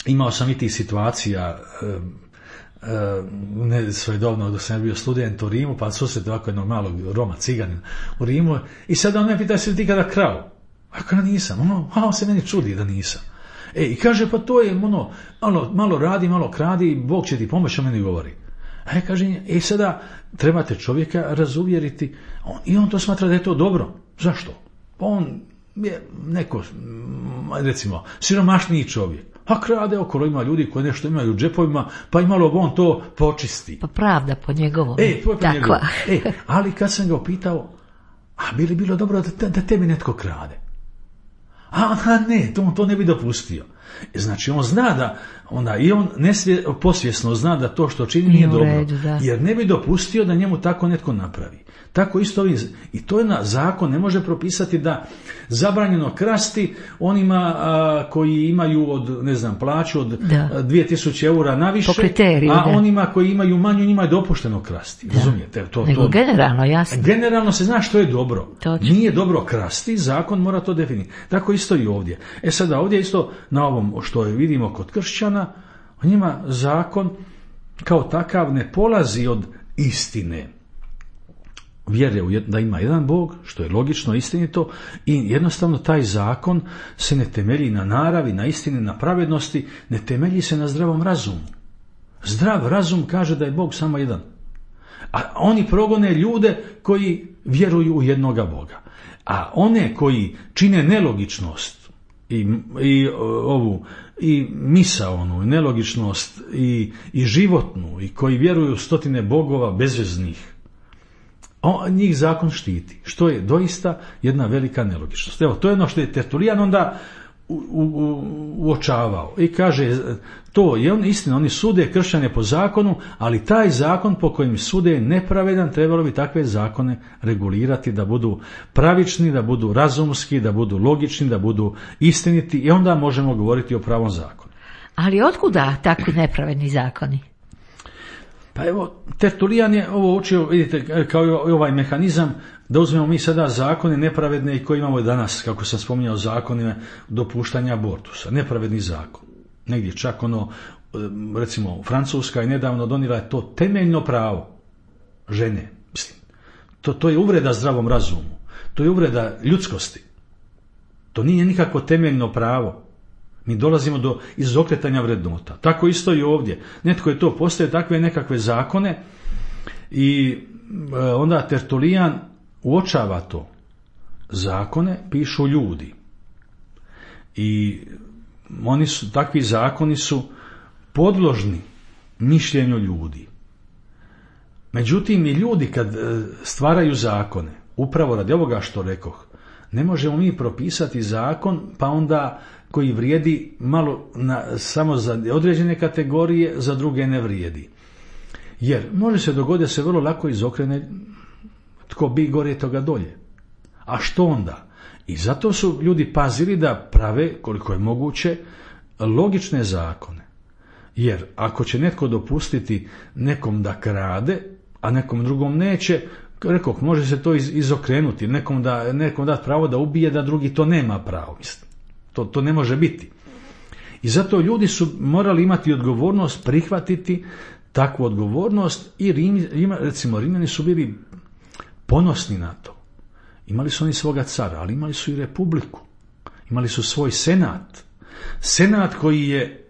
B: imao sam i tih situacija svojedobno dok sam bio student u Rimu, pa susret ovako jednog malog Roma, ciganina u Rimu, i sad on me pita si li ti kada krao? Ako nisam, on se meni čudi da nisam. I kaže, pa to je malo radi, malo kradi, Bog će ti pomoći, on meni govori. Kaže, sada trebate čovjeka razuvjeriti, i on to smatra da je to dobro. Zašto? Pa on je neko, recimo, siromašniji čovjek. A krade okolo, ima ljudi koji nešto imaju u džepovima, pa i malo on to počisti.
A: Pa pravda po njegovom.
B: To je po njegovom. Ali kad sam ga upitao, a bi li bilo dobro da tebi netko krade? Ne, to ne bi dopustio. Znači on zna da i on posvjesno zna da to što čini nije dobro,
A: redu,
B: jer ne bi dopustio da njemu tako netko napravi. Tako isto i to je zakon ne može propisati da zabranjeno krasti onima koji imaju plaću od 2000 eura naviše, onima koji imaju manju njima je dopušteno krasti. Razumijete?
A: Nego generalno, jasno.
B: Generalno se zna što je dobro.
A: Točno.
B: Nije dobro krasti, zakon mora to definiti. Tako isto i ovdje. Sada ovdje isto na ovom što vidimo kod kršćana, njima zakon kao takav ne polazi od istine. Vjere da ima jedan Bog, što je logično, istinito, i jednostavno taj zakon se ne temelji na naravi, na istini, na pravednosti, ne temelji se na zdravom razumu. Zdrav razum kaže da je Bog samo jedan. A oni progone ljude koji vjeruju u jednoga Boga. A one koji čine nelogičnost i misaonu, i nelogičnost i životnu, i koji vjeruju u stotine bogova bezveznih, njih zakon štiti, što je doista jedna velika nelogičnost. Evo, to je ono što je Tertulijan onda uočavao i kaže, to je istina, oni sude kršćane po zakonu, ali taj zakon po kojem sude je nepravedan, trebalo bi takve zakone regulirati da budu pravični, da budu razumski, da budu logični, da budu istiniti, i onda možemo govoriti o pravom zakonu.
A: Ali otkuda takvi nepravedni zakoni?
B: Pa evo, Tertulijan je ovo učio, vidite, kao i ovaj mehanizam, da uzmemo mi sada zakone nepravedne i koje imamo danas, kako sam spominjao, zakonima dopuštanja abortusa. Nepravedni zakon. Negdje čak recimo Francuska je nedavno donijela to temeljno pravo žene. Mislim, to je uvreda zdravom razumu. To je uvreda ljudskosti. To nije nikakvo temeljno pravo. Mi dolazimo do izokretanja vrednota. Tako isto i ovdje. Netko je to postavio, takve nekakve zakone i onda Tertulijan uočava to. Zakone pišu ljudi. I takvi zakoni su podložni mišljenju ljudi. Međutim, i ljudi kad stvaraju zakone, upravo radi ovoga što rekoh, ne možemo mi propisati zakon pa onda koji vrijedi malo samo za određene kategorije, za druge ne vrijedi. Jer može se dogoditi da se vrlo lako izokrene tko bi gore toga dolje. A što onda? I zato su ljudi pazili da prave, koliko je moguće, logične zakone. Jer ako će netko dopustiti nekom da krade, a nekom drugom neće, rekoh, može se to izokrenuti, nekom dati pravo da ubije, da drugi to nema pravo. To ne može biti. I zato ljudi su morali imati odgovornost, prihvatiti takvu odgovornost i Rimljani su bili ponosni na to. Imali su oni svoga cara, ali imali su i republiku. Imali su svoj senat. Senat koji je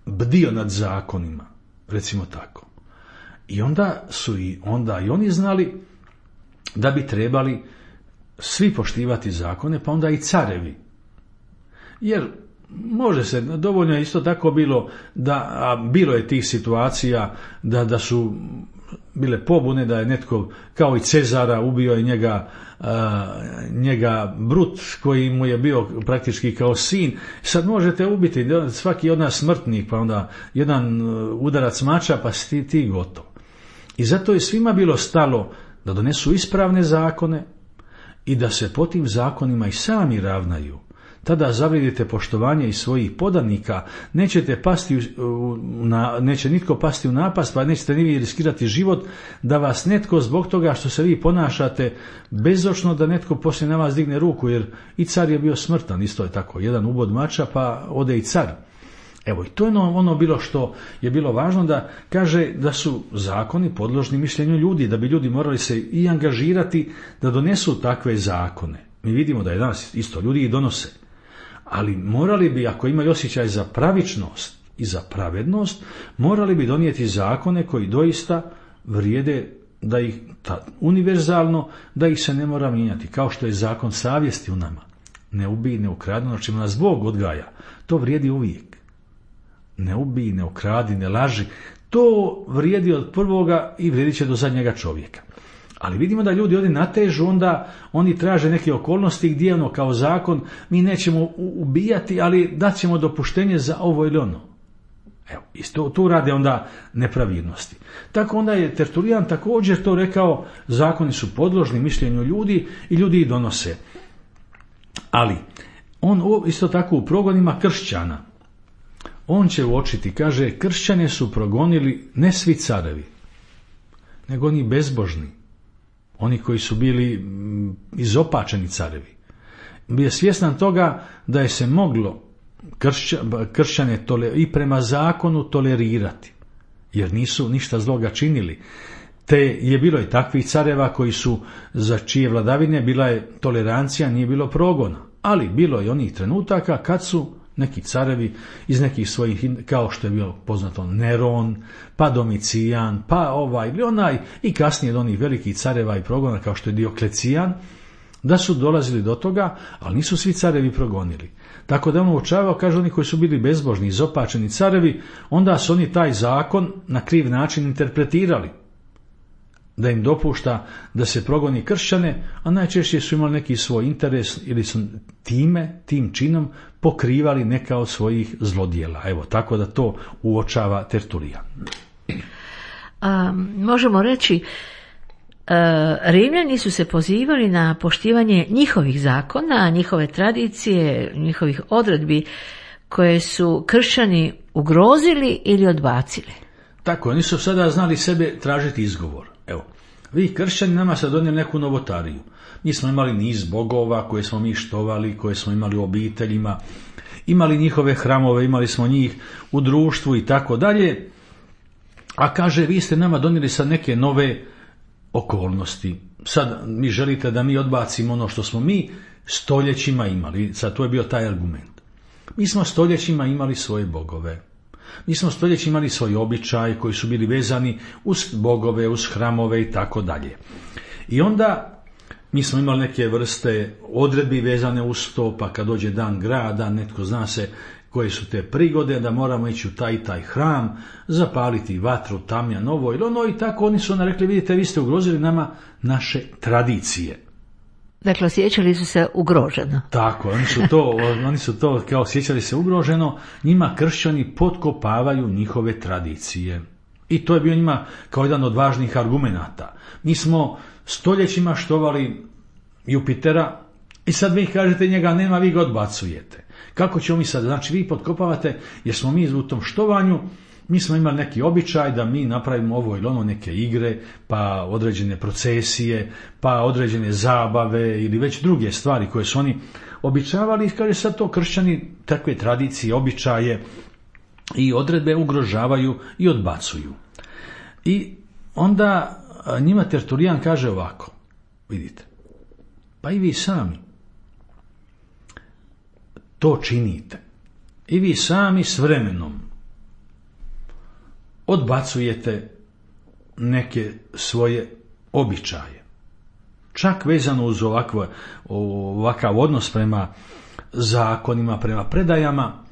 B: bdio nad zakonima, recimo tako. I onda su i oni znali da bi trebali svi poštivati zakone, pa onda i carevi. Jer može se, dovoljno je isto tako bilo bilo je tih situacija da su bile pobune, da je netko kao i Cezara ubio je njega Brut koji mu je bio praktički kao sin. Sad možete ubiti svaki od nas smrtnik, pa onda jedan udarac mača, pa si ti gotov. I zato je svima bilo stalo da donesu ispravne zakone i da se po tim zakonima i sami ravnaju. Tada zavrijedite poštovanje i svojih podanika, neće nitko pasti u napast, pa nećete ni vi riskirati život da vas netko zbog toga što se vi ponašate bezočno, da netko poslije na vas digne ruku, jer i car je bio smrtan, isto je tako, jedan ubod mača pa ode i car. Evo, i to je ono bilo što je bilo važno, da kaže da su zakoni podložni mišljenju ljudi, da bi ljudi morali se i angažirati da donesu takve zakone. Mi vidimo da je danas isto ljudi ih donose. Ali morali bi, ako imaju osjećaj za pravičnost i za pravednost, morali bi donijeti zakone koji doista vrijede, da ih univerzalno, da ih se ne mora mijenjati, kao što je zakon savjesti u nama. Ne ubij, ne ukradi, ono čemu nas Bog odgaja. To vrijedi uvijek. Ne ubij, ne ukradi, ne laži. To vrijedi od prvoga i vrijedit će do zadnjega čovjeka. Ali vidimo da ljudi ovdje natežu, onda oni traže neke okolnosti gdje kao zakon mi nećemo ubijati, ali dat ćemo dopuštenje za ovo ili ono. Evo, isto tu rade onda nepravilnosti. Tako onda je Tertulijan također to rekao, zakoni su podložni mišljenju ljudi i ljudi ih donose. Ali on isto tako u progonima kršćana, on će uočiti, kaže, kršćane su progonili ne svi carevi, nego oni bezbožni. Oni koji su bili izopačeni carevi. Bio je svjestan toga da je se moglo kršćane i prema zakonu tolerirati, jer nisu ništa zloga činili. Te je bilo i takvih careva koji su, za čije vladavine bila je tolerancija, nije bilo progona. Ali bilo je onih trenutaka kad su neki carevi iz nekih svojih, kao što je bio poznato Neron, pa Domicijan, pa ovaj ili onaj, i kasnije od onih velikih careva i progona kao što je Dioklecijan, da su dolazili do toga, ali nisu svi carevi progonili. Tako da on uočavao, kaže, oni koji su bili bezbožni, izopačeni carevi, onda su oni taj zakon na kriv način interpretirali, da im dopušta da se progoni kršćane, a najčešće su imali neki svoj interes ili su tim činom pokrivali neka od svojih zlodjela. Evo, tako da to uočava Tertulijan.
A: Možemo reći, Rimljani su se pozivali na poštivanje njihovih zakona, njihove tradicije, njihovih odredbi koje su kršćani ugrozili ili odbacili.
B: Tako, oni su sada znali sebe tražiti izgovor. Evo, vi kršćani nama sad donijeli neku novotariju. Mi smo imali niz bogova koje smo mi štovali, koje smo imali u obiteljima, imali njihove hramove, imali smo njih u društvu i tako dalje. A kaže, vi ste nama donijeli sad neke nove okolnosti. Sad mi želite da mi odbacimo ono što smo mi stoljećima imali. Sad to je bio taj argument. Mi smo stoljećima imali svoje bogove. Mi smo stoljećima imali svoj običaj koji su bili vezani uz bogove, uz hramove i tako dalje. I onda mi smo imali neke vrste odredbi vezane uz to, pa kad dođe dan grada, netko zna se koje su te prigode, da moramo ići u taj i taj hram, zapaliti vatru, tamjan, ovo ili ono, i tako oni su onda rekli, vidite, vi ste ugrozili nama naše tradicije.
A: Dakle, osjećali su se ugroženo.
B: Tako, oni su to kao osjećali se ugroženo, njima kršćani potkopavaju njihove tradicije. I to je bio njima kao jedan od važnih argumenata. Mi smo stoljećima štovali Jupitera i sad vi kažete njega nema, vi ga odbacujete. Kako ćemo mi sad? Znači vi potkopavate, jer smo mi u tom štovanju, mi smo imali neki običaj da mi napravimo ovo ili ono, neke igre, pa određene procesije, pa određene zabave ili već druge stvari koje su oni običavali. I kaže sad to kršćani takve tradicije, običaje i odredbe ugrožavaju i odbacuju. I onda njima Tertulijan kaže ovako, vidite, pa i vi sami to činite. I vi sami s vremenom odbacujete neke svoje običaje. Čak vezano uz ovakav odnos prema zakonima, prema predajama,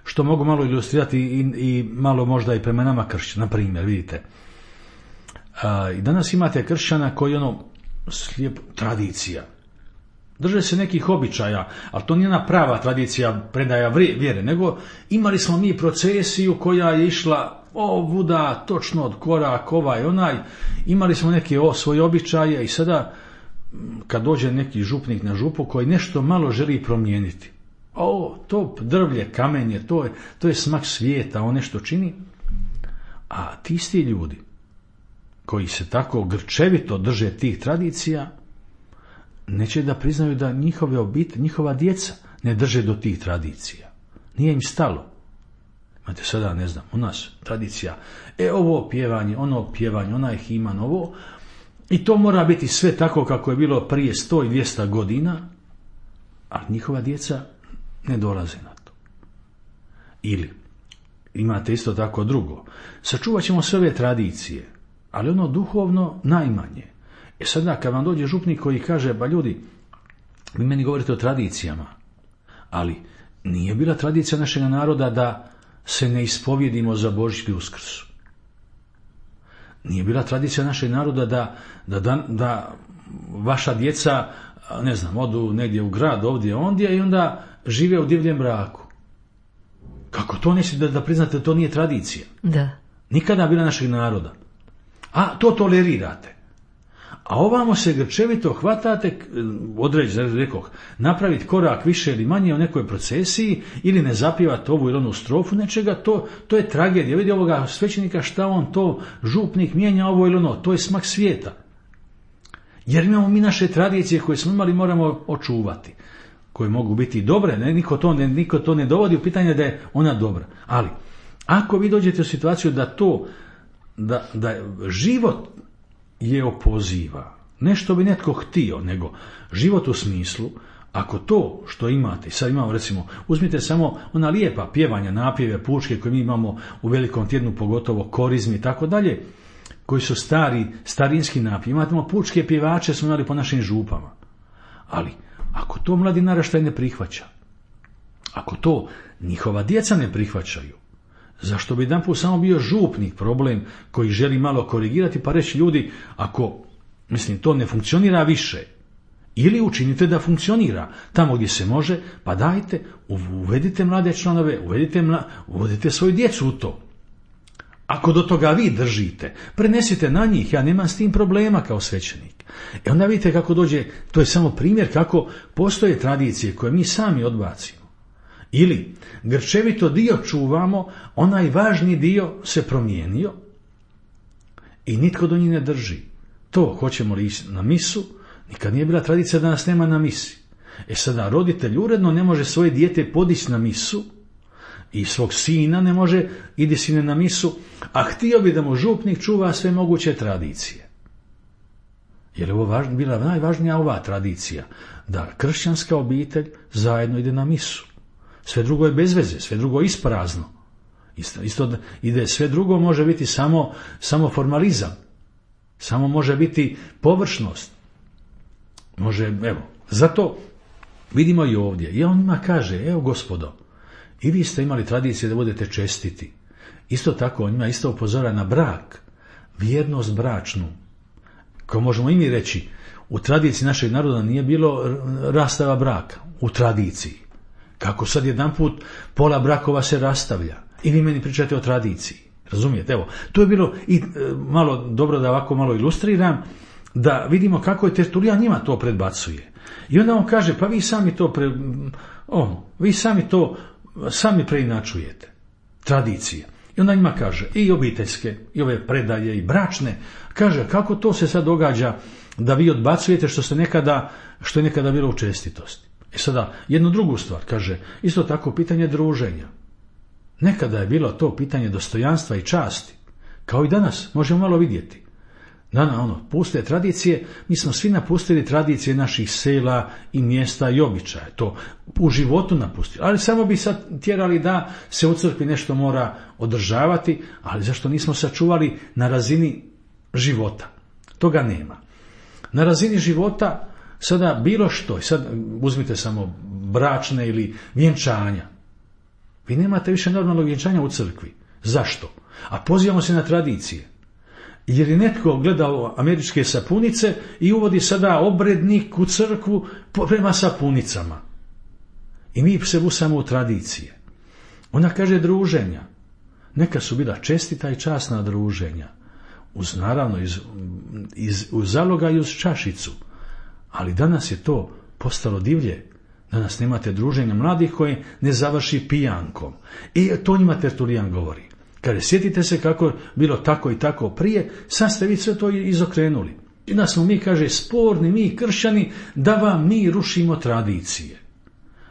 B: što mogu malo ilustrirati i malo možda i prema nama kršćana. Na primjer, vidite, i danas imate kršćana koji slijep tradicija. Drže se nekih običaja, ali to nije ona prava tradicija predaja vjere, nego imali smo mi procesiju koja je išla ovuda, točno od korak, ovaj, onaj, imali smo neke svoje običaje i sada kad dođe neki župnik na župu koji nešto malo želi promijeniti, to drvlje, kamenje, to je smak svijeta, on nešto čini, a ti isti ljudi koji se tako grčevito drže tih tradicija, neće da priznaju da njihove obitelji, njihova djeca ne drže do tih tradicija. Nije im stalo. Imate sada, ne znam, u nas tradicija, ovo pjevanje, ono pjevanje, onaj himan, ovo, i to mora biti sve tako kako je bilo prije 100 i 200 godina, a njihova djeca ne dolaze na to. Ili, imate isto tako drugo, sačuvat ćemo sve ove tradicije, ali ono duhovno najmanje. Sada kad vam dođe župnik koji kaže, ba ljudi, vi meni govorite o tradicijama, ali nije bila tradicija našeg naroda da se ne ispovjedimo za Božić i Uskrs. Nije bila tradicija našeg naroda da vaša djeca, ne znam, odu negdje u grad, ovdje, ondje i onda žive u divljem braku. Kako to nećete da priznate, to nije tradicija.
A: Da.
B: Nikada bila našeg naroda. A to tolerirate. A ovamo se grčevito hvatate, određeno, rekoh, napraviti korak više ili manje u nekoj procesiji ili ne zapivati ovu ili onu strofu nečega, to je tragedija. Vidi ovoga svećenika šta on to, župnik mijenja ovo ili ono, to je smak svijeta. Jer imamo mi naše tradicije koje smo imali, moramo očuvati, koje mogu biti dobre, niko to ne dovodi u pitanje da je ona dobra. Ali, ako vi dođete u situaciju da život je opoziva, ne što bi netko htio, nego život u smislu, ako to što imate, sad imamo recimo, uzmite samo ona lijepa pjevanja, napjeve, pučke koje mi imamo u Velikom tjednu, pogotovo korizmi i tako dalje, koji su starinski napjevi. Imamo pučke pjevače, smo imali po našim župama. Ali, ako to mladi naraštaj ne prihvaća, ako to njihova djeca ne prihvaćaju, zašto bi jedanput samo bio župnik problem koji želi malo korigirati pa reći ljudi, ako to ne funkcionira više, ili učinite da funkcionira tamo gdje se može, pa dajte, uvedite mlade članove, uvedite svoju djecu u to. Ako do toga vi držite, prenesite na njih, ja nemam s tim problema kao svećenik. Onda vidite kako dođe, to je samo primjer kako postoje tradicije koje mi sami odbacimo. Ili grčevito dio čuvamo, onaj važni dio se promijenio i nitko do njih ne drži. To, hoćemo li ići na misu, nikad nije bila tradicija da nas nema na misi. Sada roditelj uredno ne može svoje dijete podići na misu i svog sina ne može, idi sine na misu, a htio bi da mu župnik čuva sve moguće tradicije. Jer je ovo bila najvažnija ova tradicija, da kršćanska obitelj zajedno ide na misu. Sve drugo je bez veze, sve drugo je isprazno. Isto ide, sve drugo može biti samo formalizam. Samo može biti površnost. Zato vidimo i ovdje. I on njima kaže, evo gospodo, i vi ste imali tradicije da budete čestiti. Isto tako, on njima isto upozora na brak, vjernost bračnu. Kao možemo i mi reći, u tradiciji našeg naroda nije bilo rastava braka. U tradiciji. Kako sad jedanput pola brakova se rastavlja. I vi meni pričate o tradiciji. Razumijete? Evo, to je bilo i malo dobro da ovako malo ilustriram, da vidimo kako je Tertulijan njima to predbacuje. I onda on kaže, pa vi sami to sami preinačujete. Tradicije. I onda njima kaže, i obiteljske, i ove predaje, i bračne. Kaže, kako to se sad događa da vi odbacujete što je nekada bilo u čestitosti. Sada, jednu drugu stvar, kaže, isto tako pitanje druženja. Nekada je bilo to pitanje dostojanstva i časti. Kao i danas, možemo malo vidjeti. Puste tradicije, mi smo svi napustili tradicije naših sela i mjesta i običaja. To u životu napustili. Ali samo bi sad tjerali da se u crkvi nešto mora održavati, ali zašto nismo sačuvali na razini života? Toga nema. Na razini života sada bilo što, sad uzmite samo bračne ili vjenčanja. Vi nemate više normalnog vjenčanja u crkvi. Zašto? A pozivamo se na tradicije. Jer je netko gledao američke sapunice i uvodi sada obrednik u crkvu prema sapunicama. I mi se busamo u tradicije. Ona kaže druženja. Neka su bila čestita i časna druženja. Naravno, uz zaloga i uz čašicu. Ali danas je to postalo divlje. Danas nemate druženja mladih koje ne završi pijankom. I to njima Tertulijan govori. Kaže, sjetite se kako je bilo tako i tako prije, sad ste vi sve to izokrenuli. I da smo mi, kaže, sporni, mi kršćani, da vam mi rušimo tradicije.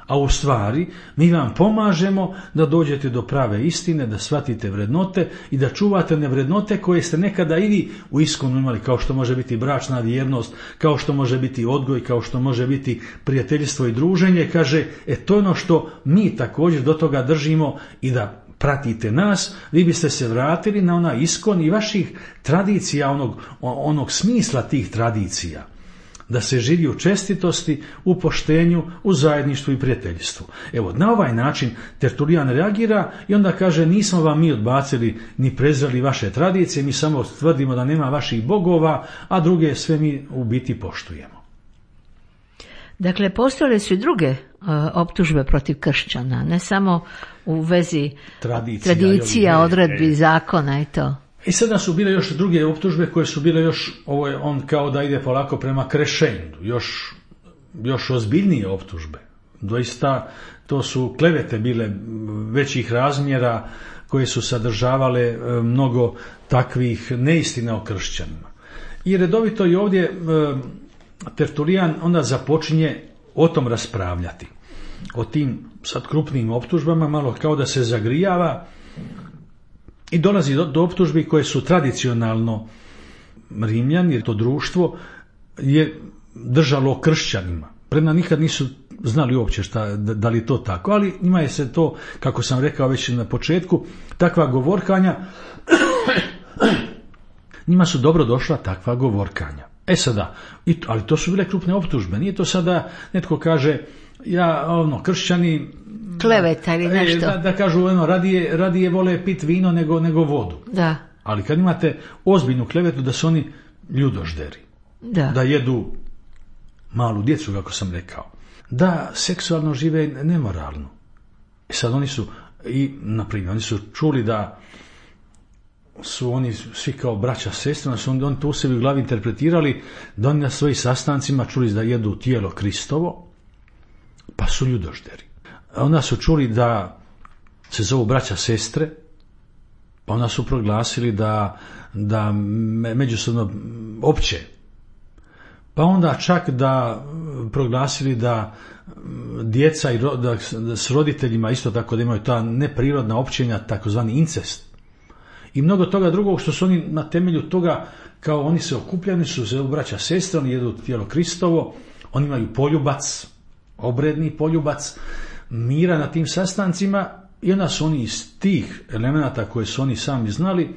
B: A u stvari, mi vam pomažemo da dođete do prave istine, da shvatite vrednote i da čuvate one vrednote koje ste nekada i vi u iskonu imali, kao što može biti bračna vjernost, kao što može biti odgoj, kao što može biti prijateljstvo i druženje. Kaže, to je ono što mi također do toga držimo i da pratite nas, vi biste se vratili na onaj iskon i vaših tradicija, onog smisla tih tradicija. Da se živi u čestitosti, u poštenju, u zajedništvu i prijateljstvu. Evo, na ovaj način Tertulijan reagira i onda kaže, nismo vam mi odbacili ni prezreli vaše tradicije, mi samo tvrdimo da nema vaših bogova, a druge sve mi u biti poštujemo.
A: Dakle, postojale su i druge optužbe protiv kršćana, ne samo u vezi tradicija, odredbi, zakona i to.
B: I sada su bile još druge optužbe koje su bile još, ovo je on kao da ide polako prema krešenju, još ozbiljnije optužbe. Doista to su klevete bile većih razmjera koje su sadržavale mnogo takvih neistina o kršćanima. I redovito i ovdje Tertulijan onda započinje o tom raspravljati. O tim sad krupnim optužbama, malo kao da se zagrijava i dolazi do optužbi koje su tradicionalno Rimljani, jer to društvo je držalo kršćanima. Prema nikad nisu znali uopće da li je to tako, ali njima je se to, kako sam rekao već na početku, takva govorkanja, njima su dobro došla takva govorkanja. Sada, ali to su bile krupne optužbe, nije to sada netko kaže, kršćani
A: kleveta ili nešto.
B: Da kažu, radije vole pit vino nego vodu.
A: Da.
B: Ali kad imate ozbiljnu klevetu da su oni ljudožderi, da jedu malu djecu, kako sam rekao, da seksualno žive nemoralno. Sad oni su, oni su čuli da su oni svi kao braća, sestre, oni to u sebi u glavi interpretirali, da oni na svojih sastancima čuli da jedu tijelo Kristovo, pa su ljudožderi. onda su čuli da se zovu braća sestre, pa onda su proglasili da međusobno opće. Pa onda čak da proglasili da djeca da s roditeljima isto tako da imaju ta neprirodna općenja, takozvani incest. I mnogo toga drugog što su oni na temelju toga, kao oni se okupljani, su se braća sestre, oni jedu tijelo Kristovo, oni imaju poljubac, obredni poljubac mira na tim sastancima i onda su oni iz tih elemenata koje su oni sami znali,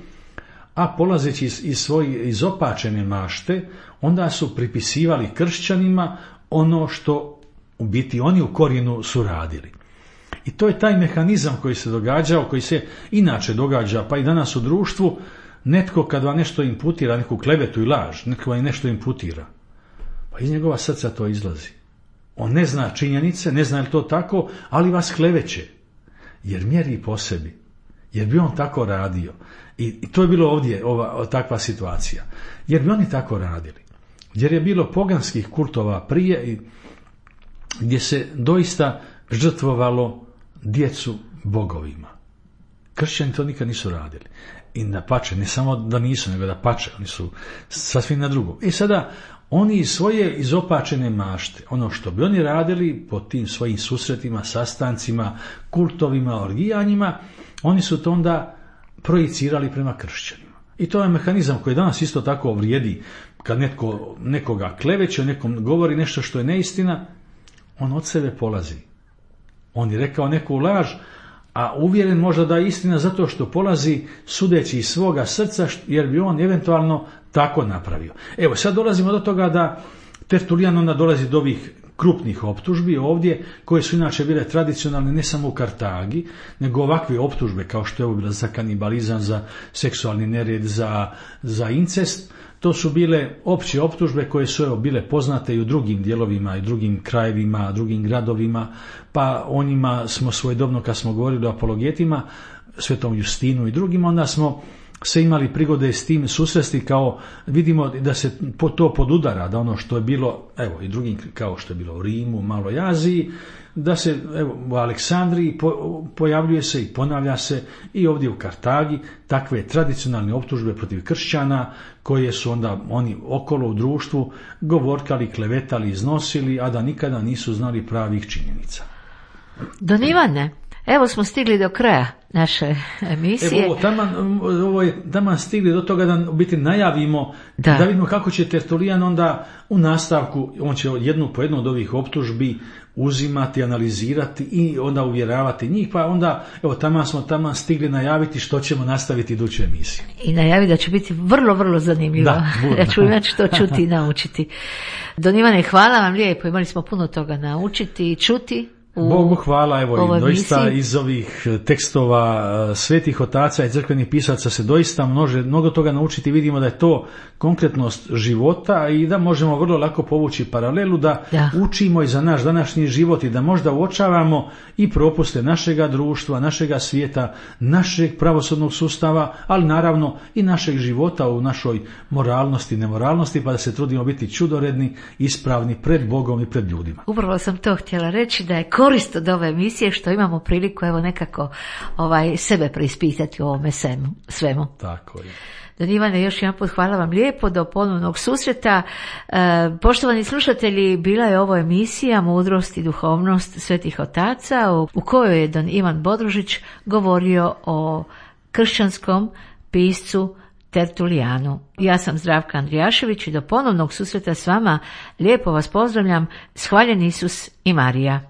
B: a polazeći iz svoje izopačene mašte, onda su pripisivali kršćanima ono što u biti oni u korijenu su radili. I to je taj mehanizam koji se događao, koji se inače događa, pa i danas u društvu. Netko kad vam nešto imputira, neku klevetu i laž, netko vam nešto imputira, pa iz njegova srca to izlazi. On ne zna činjenice, ne zna je li to tako, ali vas kleveće, jer mjeri po sebi, jer bi on tako radio. I to je bilo ovdje takva situacija, jer bi oni tako radili. Jer je bilo poganskih kultova prije gdje se doista žrtvovalo djecu bogovima. Kršćani to nikad nisu radili. I dapače, ne samo da nisu, nego dapače, oni su sasvim na drugo. I sada oni iz svoje izopačene mašte, ono što bi oni radili po tim svojim susretima, sastancima, kultovima, orgijanjima, oni su to onda projicirali prema kršćanima. I to je mehanizam koji danas isto tako vrijedi. Kad netko nekoga kleveće, nekom govori nešto što je neistina, on od sebe polazi. On je rekao neku laž, a uvjeren možda da je istina zato što polazi sudeći iz svoga srca, jer bi on eventualno tako napravio. Evo, sad dolazimo do toga da Tertulijan onda dolazi do ovih krupnih optužbi ovdje, koje su inače bile tradicionalne ne samo u Kartagi, nego ovakve optužbe kao što je ovo bila za kanibalizam, za seksualni nered, za incest. To su bile opće optužbe koje su bile poznate i u drugim dijelovima i drugim krajevima, drugim gradovima, pa o njima smo svojedobno kad smo govorili o apologetima, Svetom Justinu i drugim, onda smo se imali prigode s tim susresti, kao vidimo da se to podudara, da ono što je bilo, evo i drugim kao što je bilo u Rimu, Maloj Aziji, da se u Aleksandriji pojavljuje se i ponavlja se i ovdje u Kartagi takve tradicionalne optužbe protiv kršćana koje su onda oni okolo u društvu govorkali, klevetali, iznosili, a da nikada nisu znali pravih činjenica.
A: Don Ivane, evo smo stigli do kraja naše emisije.
B: Ovo je taman stigli do toga da biti najavimo, da vidimo kako će Tertulijan onda u nastavku, on će jednu po jednu od ovih optužbi uzimati, analizirati i onda uvjeravati njih, pa onda evo taman stigli najaviti što ćemo nastaviti iduću emisiju.
A: I najaviti da će biti vrlo, vrlo zanimljivo. Ja ću imati što čuti i naučiti. Don Ivane, hvala vam lijepo, imali smo puno toga naučiti i čuti.
B: Bogu hvala, evo i doista iz ovih tekstova svetih otaca i crkvenih pisaca se doista može mnogo toga naučiti. Vidimo da je to konkretnost života i da možemo vrlo lako povući paralelu da učimo i za naš današnji život i da možda uočavamo i propuste našega društva, našega svijeta, našeg pravosudnog sustava, ali naravno i našeg života u našoj moralnosti i nemoralnosti, pa da se trudimo biti čudoredni, ispravni pred Bogom i pred ljudima.
A: Upravo sam to htjela reći, da je korist od ove emisije što imamo priliku evo nekako sebe preispitati u ovome svemu.
B: Tako je.
A: Don Ivane, još jedan put hvala vam lijepo, do ponovnog susreta. Poštovani slušatelji, bila je ovo emisija Mudrost i duhovnost svetih otaca u kojoj je Don Ivan Bodružić govorio o kršćanskom piscu Tertulijanu. Ja sam Zdravka Andrijašević i do ponovnog susreta s vama lijepo vas pozdravljam. Hvaljen Isus i Marija.